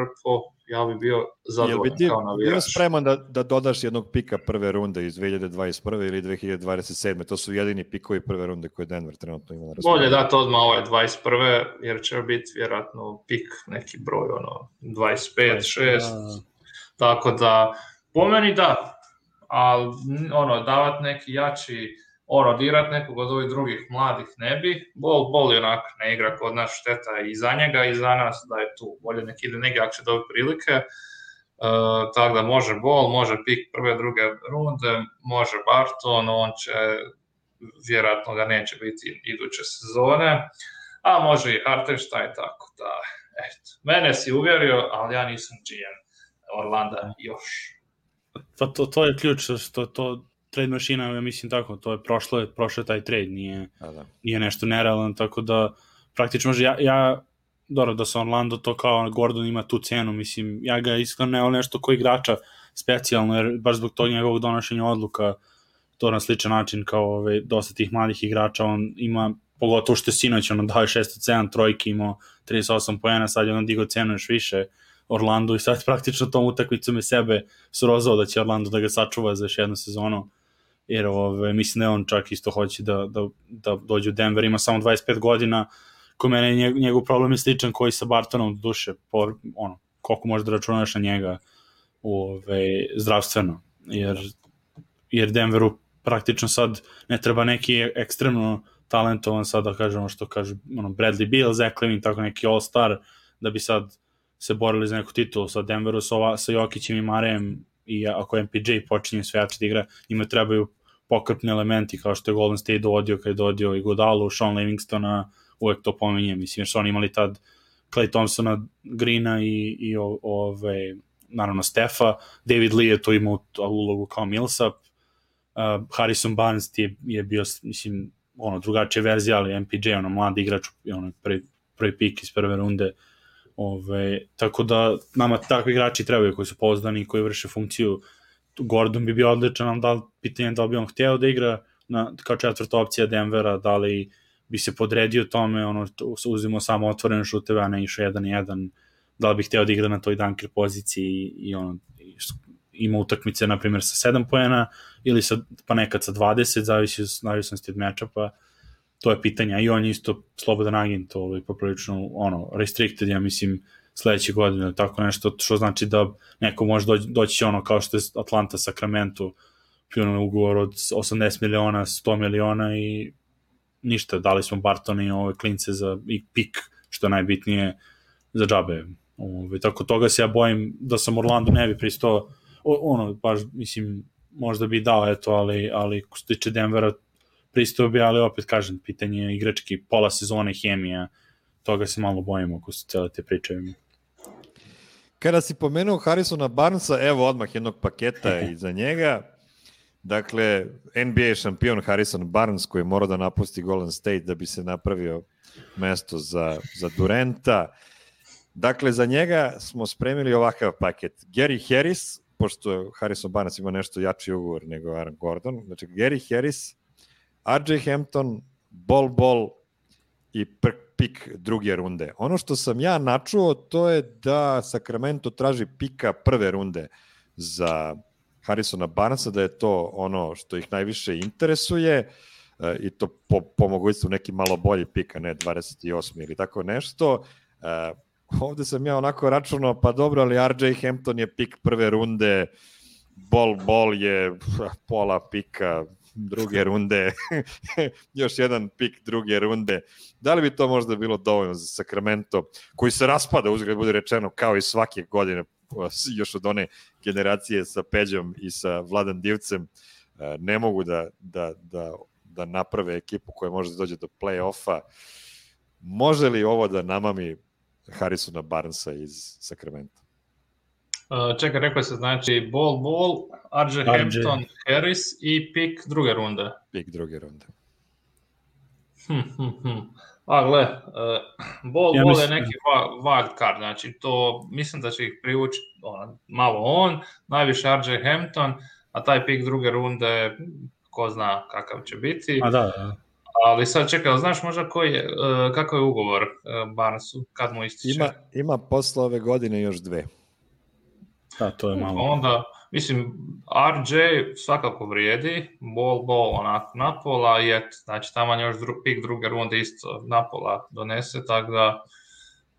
ja bi bio Jel zadovoljan bi ti kao bio navijač. spreman da dodaš jednog pika prve runde iz 2021. ili 2027. To su jedini pikovi prve runde koje Denver trenutno ima na raspolaganju. Bolje dati odmah ove 21. jer će biti vjerojatno pik neki broj, 25, 6. Tako da, po meni da, ali davat neki jači, dirat nekog od ovih drugih mladih ne bi. Bol je onak ne igra kod nas, šteta i za njega i za nas da je tu. Bolje nek ide negdje ako će dobiti prilike. Tako da može Bol, može pik prve, druge runde, može Barton, on će, vjerojatno ga neće biti iduće sezone, a može i Hartenstein, tako da, eto. Mene si uvjerio, ali ja nisam GM Orlanda još. Pa to je ključ, što to trade mašina, ja mislim tako, to je prošlo taj trade, nije nešto nerealno, tako da praktično može, dobro da sa Orlando to kao Gordon ima tu cenu, mislim, ja ga iskreno ne nešto ko igrača specijalno, jer baš zbog tog njegovog donošenja odluka, to na sličan način kao dosta tih mladih igrača, on ima, pogotovo što je sinoć, dao je 607 trojki, imao 38 poena, sad je on digao cenu još više Orlando i sad praktično tom utakmicom je sebe srozao da će Orlando da ga sačuva za još jednu sezonu, jer mislim da on čak isto hoće da dođe u Denver, ima samo 25 godina, ko mene njegov problem je sličan koji sa Bartonom duše, koliko možeš da računaš na njega zdravstveno, jer Denveru praktično sad ne treba neki ekstremno talentovan sad da kažemo što kaže Bradley Beal, Zach Levine, tako neki all-star da bi sad se borili za neku titulu. Sa Denveru sa Jokićem i Marejem i ako MPJ počinje sve jače da igra, njima trebaju pokrpni elementi kao što je Golden State dovodio kad je dovodio i Godalu, Sean Livingstona, uvek to pominjem, mislim jer su oni imali tad Klay Thompsona, Greena i naravno Stefa, David Lee je to imao ulogu kao Millsap, Harrison Barnes je bio, mislim, drugačija verzija, ali MPJ, mladi igrač, prvi pik iz prve runde, tako da nama takvi igrači trebaju koji su pouzdani i koji vrše funkciju. Gordon bi bio odličan, pitanje da li bi on hteo da igra kao četvrta opcija Denvera, da li bi se podredio tome, uzimo samo otvorene šuteve, a ne išao 1-1, da li bi hteo da igra na toj dunker poziciji i ima utakmice, na primjer, sa 7 poena ili pa nekad sa 20, zavisnosti od matchupa, to je pitanje, i on je isto slobodan agent, poprilično restricted, ja mislim, sledeće godine, tako nešto, što znači da neko može doći kao što je Atlanta, Sacramento, pljeno ugovor od 80 miliona, 100 miliona i ništa, dali smo Bartona i ove klince i pik, što je najbitnije, za džabe. Tako toga se ja bojim da sam Orlando ne bi pristao, baš, mislim, možda bi dao, ali ko se tiče Denvera, pristao bi, ali opet kažem, pitanje igrački, pola sezone, hemija, toga se malo bojimo ako su cele te priče. Kada si pomenuo Harrisona Barnesa, evo odmah jednog paketa iza njega. Dakle, NBA šampion Harrison Barnes koji je morao da napusti Golden State da bi se napravio mesto za Duranta. Dakle, za njega smo spremili ovakav paket. Gary Harris, pošto Harrison Barnes ima nešto jači ugovor nego Aaron Gordon, znači Gary Harris, RJ Hampton, Bol i pik druge runde. Ono što sam ja načuo, to je da Sacramento traži pika prve runde za Harrisona Barnesa, da je to ono što ih najviše interesuje i to po mogućstvu neki malo bolji pik, a ne 28. ili tako nešto. Ovde sam ja onako računao, pa dobro, ali RJ Hampton je pik prve runde, Bol je pola pika druge runde, još jedan pik druge runde. Da li bi to možda bilo dovoljno za Sacramento, koji se raspada, uzgled bude rečeno, kao i svake godine, još od one generacije sa Peđom i sa Vladan Divcem, ne mogu da naprave ekipu koja može da dođe do play-offa. Može li ovo da namami Harrisona Barnesa iz Sacramento? Čekaj, rekao se, znači Bol, RJ Hampton, Harris i pik druge runde. Pik druge runde. Gle, Bol je neki wild card, znači to mislim da će ih privući malo on, najviše RJ Hampton, a taj pik druge runde ko zna kakav će biti. Da. Ali sad čekaj, znaš možda kakav je ugovor Barnesu, kad mu ističe? Ima posle ove godine još 2. Da, to je malo. Onda, mislim, RJ svakako vrijedi, bol onako napola, i eto, znači tamo još pik druge runde isto napola donese, tako da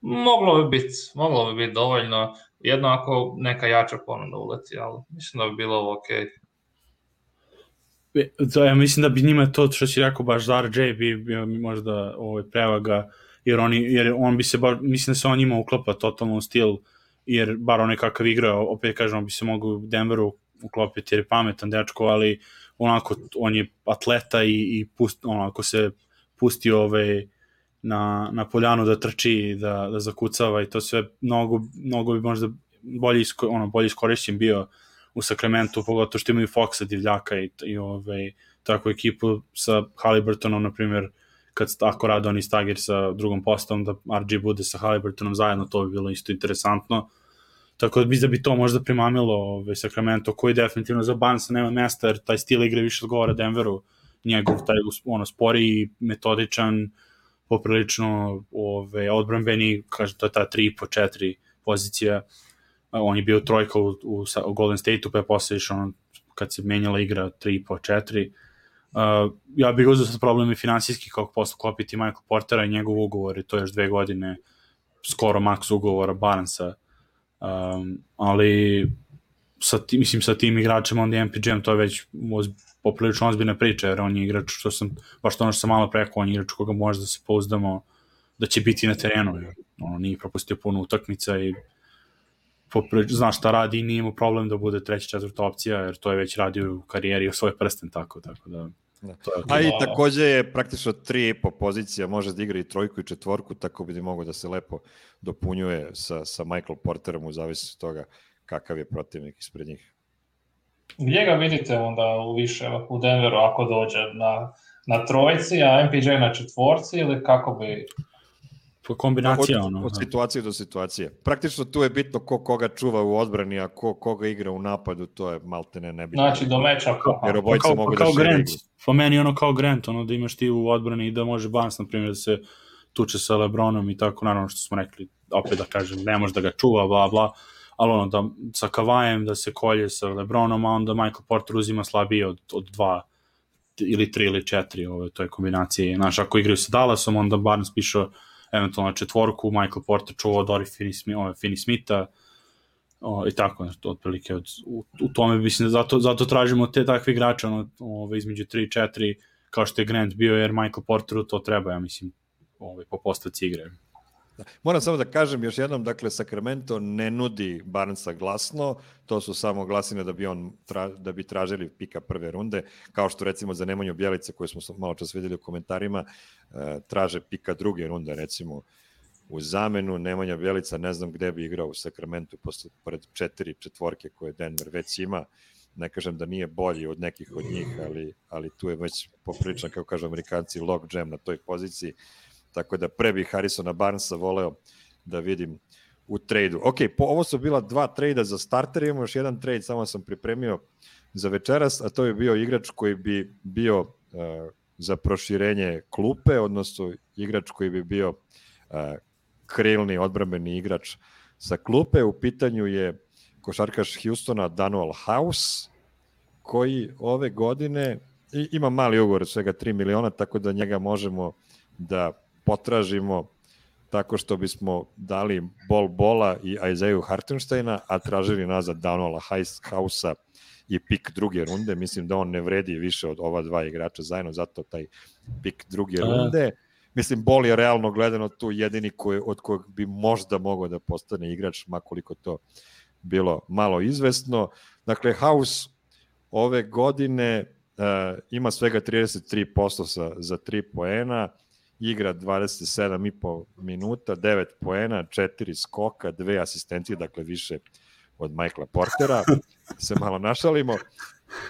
moglo bi biti dovoljno, jedno ako neka jača ponuda uleti, ali mislim da bi bilo ovo okej. Ja mislim da bi njima to što si rekao baš za RJ bi bio možda prevaga, jer on bi se mislim da se on njima uklapa totalno u stil, jer bar onaj kakav igra, opet kažem, on bi se mogao u Denveru uklopiti jer je pametan dečko, ali onako on je atleta i onako se pusti na poljanu da trči, da zakucava i to sve mnogo bi možda bolje iskorišćen bio u Sacramentu, pogotovo što imaju Foxa, divljaka i takvu ekipu sa Haliburtonom, na primjer, ako rade oni stagir sa drugom postavom, da RG bude sa Haliburtonom zajedno, to bi bilo isto interesantno. Tako da bi to možda primamilo Sacramento, koji definitivno za Barnesa nema mesta, jer taj stil igre više odgovara Denveru, njegov taj sporiji, metodičan, poprilično odbrambeni, kaže to je ta 3,5-4 pozicija. On je bio trojka u Golden State-u, pa je posle išao kad se menjala igra 3,5-4. Ja bih uzeo sad problemi finansijski kako posle klopiti Michael Portera i njegov ugovor, i to je još 2 godine skoro maks ugovora Barnesa, ali sa tim igračima onda MPJ-em to je već poprilično ozbiljna priča, jer on je igrač, baš to sam malo preko, on je igrač koga može da se pouzdamo da će biti na terenu, jer nije propustio puno utakmica i znaš šta radi i nije imao problem da bude 3. 4. opcija, jer to je već radio u karijeri u svoj prsten, tako da... A i takođe je praktično 3,5 pozicija, može da igra i 3 i 4, tako bi mogo da se lepo dopunjuje sa Michael Porterom u zavisnosti toga kakav je protivnik ispred njih. Gdje ga vidite onda u Denveru ako dođe na trojci, a MPJ na 4 ili kako bi... Kombinacija od situacije do situacije. Praktično tu je bitno koga čuva u odbrani, a koga igra u napadu, to je maltene nebitno. Znači do meča. Jer obojica mogu da šire igru. Po meni kao Grant, da imaš ti u odbrani i da može Barnes, na primjer, da se tuče sa LeBronom i tako, naravno što smo rekli, opet da kažem, ne može da ga čuva, bla, bla, ali da sa Kavajem da se kolje sa LeBronom, a onda Michael Porter uzima slabije od 2 ili 3 ili 4, to je kombinacija. Znaš, ako igraju sa Dallasom, onda Barnes pišao eventualno 4, Michael Porter čuvao Dori Finney-Smitha i tako, otprilike u tome mislim da zato tražimo te takve igrače između 3 i 4, kao što je Grant bio, jer Michael Porteru to treba, ja mislim, po postavci igre. Moram samo da kažem još jednom, dakle, Sacramento ne nudi Barnesa glasno, to su samo glasine da bi tražili pika 1. runde, kao što recimo za Nemanju Bjelice, koje smo malo čas vidjeli u komentarima, traže pika 2. runde, recimo u zamenu. Nemanja Bjelica ne znam gde bi igrao u Sacramentu pored 4 koje Denver već ima. Ne kažem da nije bolji od nekih od njih, ali tu je već popriličan, kako kažu Amerikanci, log jam na toj poziciji. Tako da pre bih Harrisona Barnesa voleo da vidim u trejdu. Ok, ovo su bila 2 trejda za starter, imamo još jedan trejd, samo sam pripremio za večeras, a to je bio igrač koji bi bio za proširenje klupe, odnosno igrač koji bi bio krilni odbrambeni igrač sa klupe. U pitanju je košarkaš Houstona Danuel House, koji ove godine ima mali ugovor, svega 3 miliona, tako da njega možemo da potražimo tako što bismo dali Bola i Isaiah Hartensteina, a tražili nazad Danuela House-a i pik 2. runde. Mislim da on ne vredi više od ova 2 igrača zajedno, zato taj pik 2. runde. Mislim, Bol je realno gledano tu jedini od kojeg bi možda mogao da postane igrač, makoliko to bilo malo izvesno. Dakle, House ove godine ima svega 33% za 3 poena, igra 27,5 minuta, 9 poena, 4 skoka, 2 asistencije, dakle više od Michaela Portera, se malo našalimo.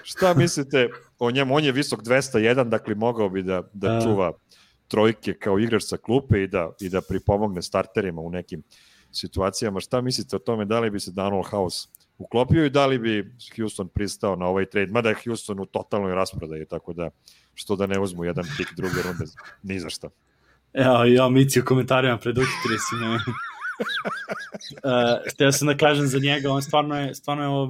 Šta mislite o njemu? On je visok 201, dakle mogao bi da čuva trojke kao igrač sa klupe i da pripomogne starterima u nekim situacijama. Šta mislite o tome? Da li bi se Danuel House uklopio i da li bi Houston pristao na ovaj trade? Mada je Houston u totalnoj rasprodaji, tako da što da ne uzmu jedan pik 2. runde ni za šta. Ja Mici u komentarima preduhitili si me. Htio sam da kažem za njega, on stvarno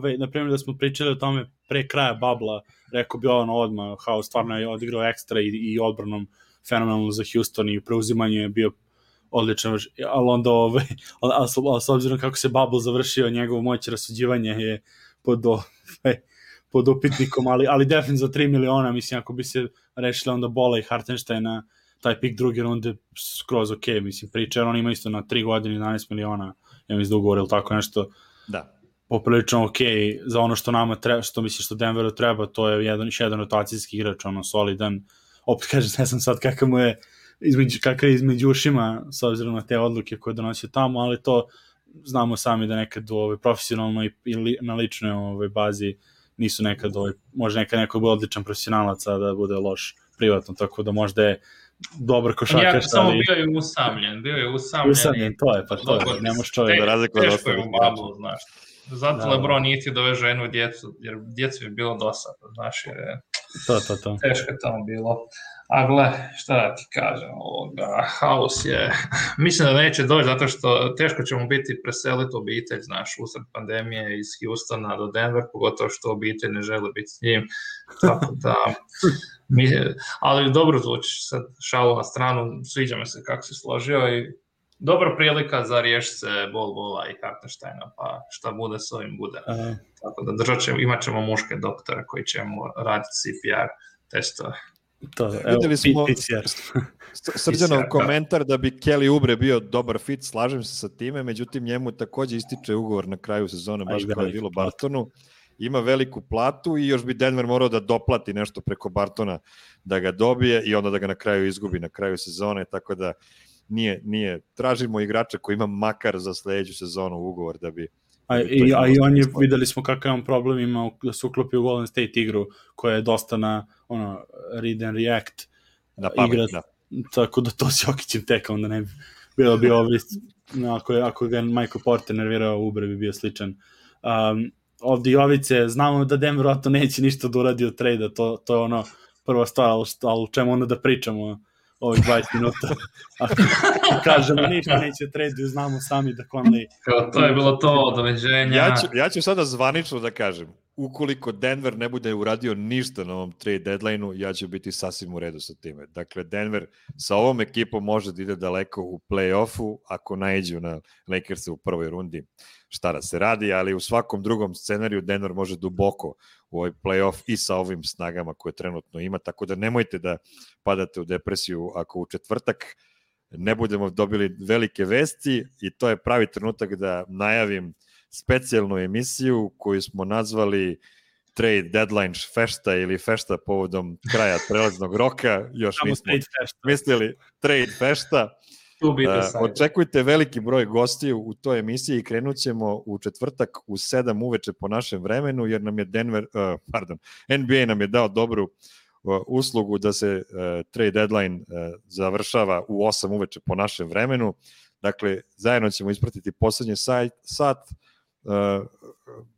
je na primjer da smo pričali o tome pre kraja babla, rekao bi ono odmah, House stvarno je odigrao ekstra i odbranom fenomenalno za Houston i preuzimanje je bio odličan, ali onda ali s obzirom kako se bubble završio, njegovo moć rasuđivanja je pod upitnikom, ali definitivno za 3 miliona, mislim, ako bi se rešili onda Bola i Hartensteina, taj pik druge runde skroz ok, mislim, priča, jer on ima isto na 3 godine 11 miliona, ja mislim da ugovor ili tako nešto, da, poprilično ok za ono što nama treba, što misliš što Denveru treba, to je jedan rotacijski igrač, ono, solidan, opet kažem, ne znam sad kakav mu je kakav je između ušima s obzirom na te odluke koje donosio tamo, ali to znamo sami da nekad profesionalno i na ličnoj bazi nisu nekad, može nekad neko bude odličan profesionalac, a da bude loš privatno, tako da možda je dobar košarkaš. Samo bio je usamljen. To je, pa to je, nemoš čovjek da razlikuje od ostalih. Znaš. Zato LeBron nije ti doveo jednu djecu, jer djecu je bilo dosadno, znaš, jer je teško je tamo bilo. A gle, šta da ti kažem, House je, mislim da neće doći, zato što teško ćemo biti preseliti obitelj, znaš, usred pandemije iz Houstona do Denver, pogotovo što obitelj ne žele biti s njim, tako da, ali dobro zvuči, sad šalu na stranu, sviđa mi se kako si složio i dobra prilika za riješiti se Bola i Hartensteina, pa šta bude s ovim bude. Tako da imat ćemo muške doktore koji ćemo raditi CPR testove. Vidjeli smo Srđanov komentar da bi Kelly Oubre bio dobar fit, slažem se sa time, međutim njemu takođe ističe ugovor na kraju sezone, baš kao je bilo Bartonu, ima veliku platu i još bi Denver morao da doplati nešto preko Bartona da ga dobije i onda da ga na kraju izgubi na kraju sezone, tako da nije, tražimo igrača koji ima makar za sledeću sezonu ugovor da bi... I on je, videli smo kakav on problem ima da se uklopi u Golden State igru koja je dosta na read and react igra, tako da to s Jokićem teka, onda ne bi bilo ako ga Michael Porter nervirao, Oubre bi bio sličan. Ovdje Jovice, znamo da Denver to neće ništa da uradi od trejda, to je ono prva stvar, ali u čemu onda da pričamo ovih 20 minuta. Ako kažemo ništa neće trade, znamo sami da Conley... To je bilo to, doveđenja. Ja ću sada zvanično da kažem, ukoliko Denver ne bude uradio ništa na ovom trade deadline-u, ja ću biti sasvim u redu sa time. Dakle, Denver sa ovom ekipom može da ide daleko u play-offu ako naiđu na Lakersa u prvoj rundi. Šta da se radi, ali u svakom drugom scenariju Denver može duboko u ovaj play-off i sa ovim snagama koje trenutno ima, tako da nemojte da padate u depresiju ako u četvrtak ne budemo dobili velike vesti i to je pravi trenutak da najavim specijalnu emisiju koju smo nazvali Trade Deadline fešta ili fešta povodom kraja prelaznog roka, još nismo mislili Trade fešta. Očekujte veliki broj gostiju u toj emisiji i krenut ćemo u četvrtak u 7 uveče po našem vremenu, jer nam je NBA nam je dao dobru uslugu da se trade deadline završava u 8 uveče po našem vremenu. Dakle, zajedno ćemo ispratiti poslednji sat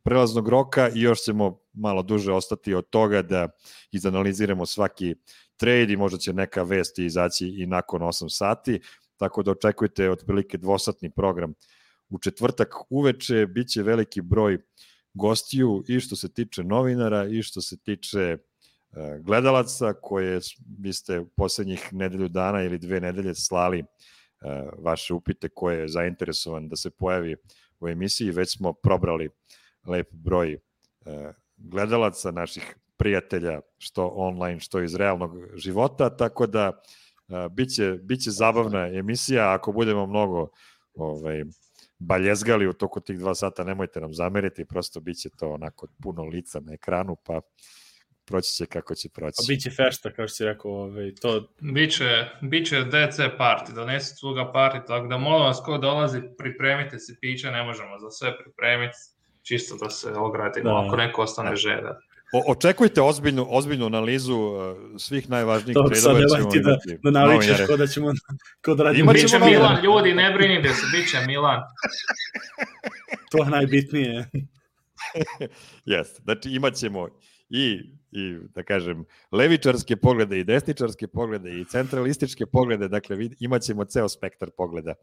prelaznog roka i još ćemo malo duže ostati od toga da izanaliziramo svaki trade i možda će neka vest izaći i nakon 8 sati. Tako da očekujte otprilike dvosatni program u četvrtak uveče, bit će veliki broj gostiju i što se tiče novinara i što se tiče gledalaca koje vi ste u poslednjih nedelju dana ili 2 nedelje slali vaše upite koje je zainteresovan da se pojavi u emisiji. Već smo probrali lep broj gledalaca, naših prijatelja, što online, što iz realnog života, tako da biće zabavna emisija. Ako budemo mnogo baljezgali u toku tih 2 sata, nemojte nam zameriti, prosto biće to onako puno lica na ekranu, pa proći će kako će proći. Biće fešta, kao što si rekao. Biće DC party, donesi svoga party, tako da molim vas ko dolazi, pripremite si piće, ne možemo za sve pripremiti, čisto da se ogradimo, ako neko ostane želja. Očekujte ozbiljnu analizu svih najvažnijih tradova. Ćemo imati da navičeš ko da ćemo kod radimo. Biće Milan, ljudi, ne brinite se, biće Milan. To je najbitnije. Jeste, znači imat ćemo i da kažem, levičarske poglede i desničarske poglede i centralističke poglede, dakle imat ćemo ceo spektar pogleda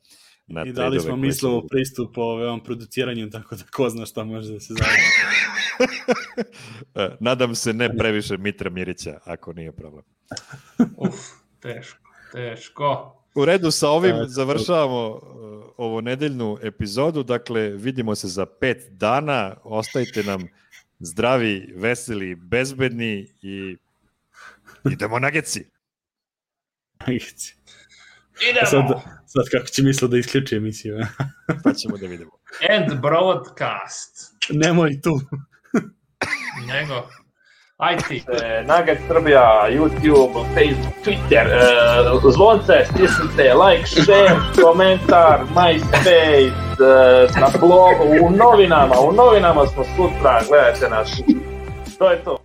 na i dali smo mislovo pristup o ovom produciranju, tako da ko zna šta može da se završi. Nadam se ne previše Mitra Mirića, ako nije problem. Teško. U redu, sa ovim završavamo ovo nedeljnu epizodu, dakle vidimo se za 5 dana, ostajte nam zdravi, veseli, bezbedni i idemo Nuggetsi. Idemo! Sad kako će misliti da isključi emisiju. Pa ćemo da vidimo. End broadcast. Nemoj tu. Nego. Aj ti. Nugget Srbija, YouTube, Facebook, Twitter, zvonce, stisnite, like, share, komentar, MySpace, na blogu, u novinama smo sutra, gledajte nas. To je to.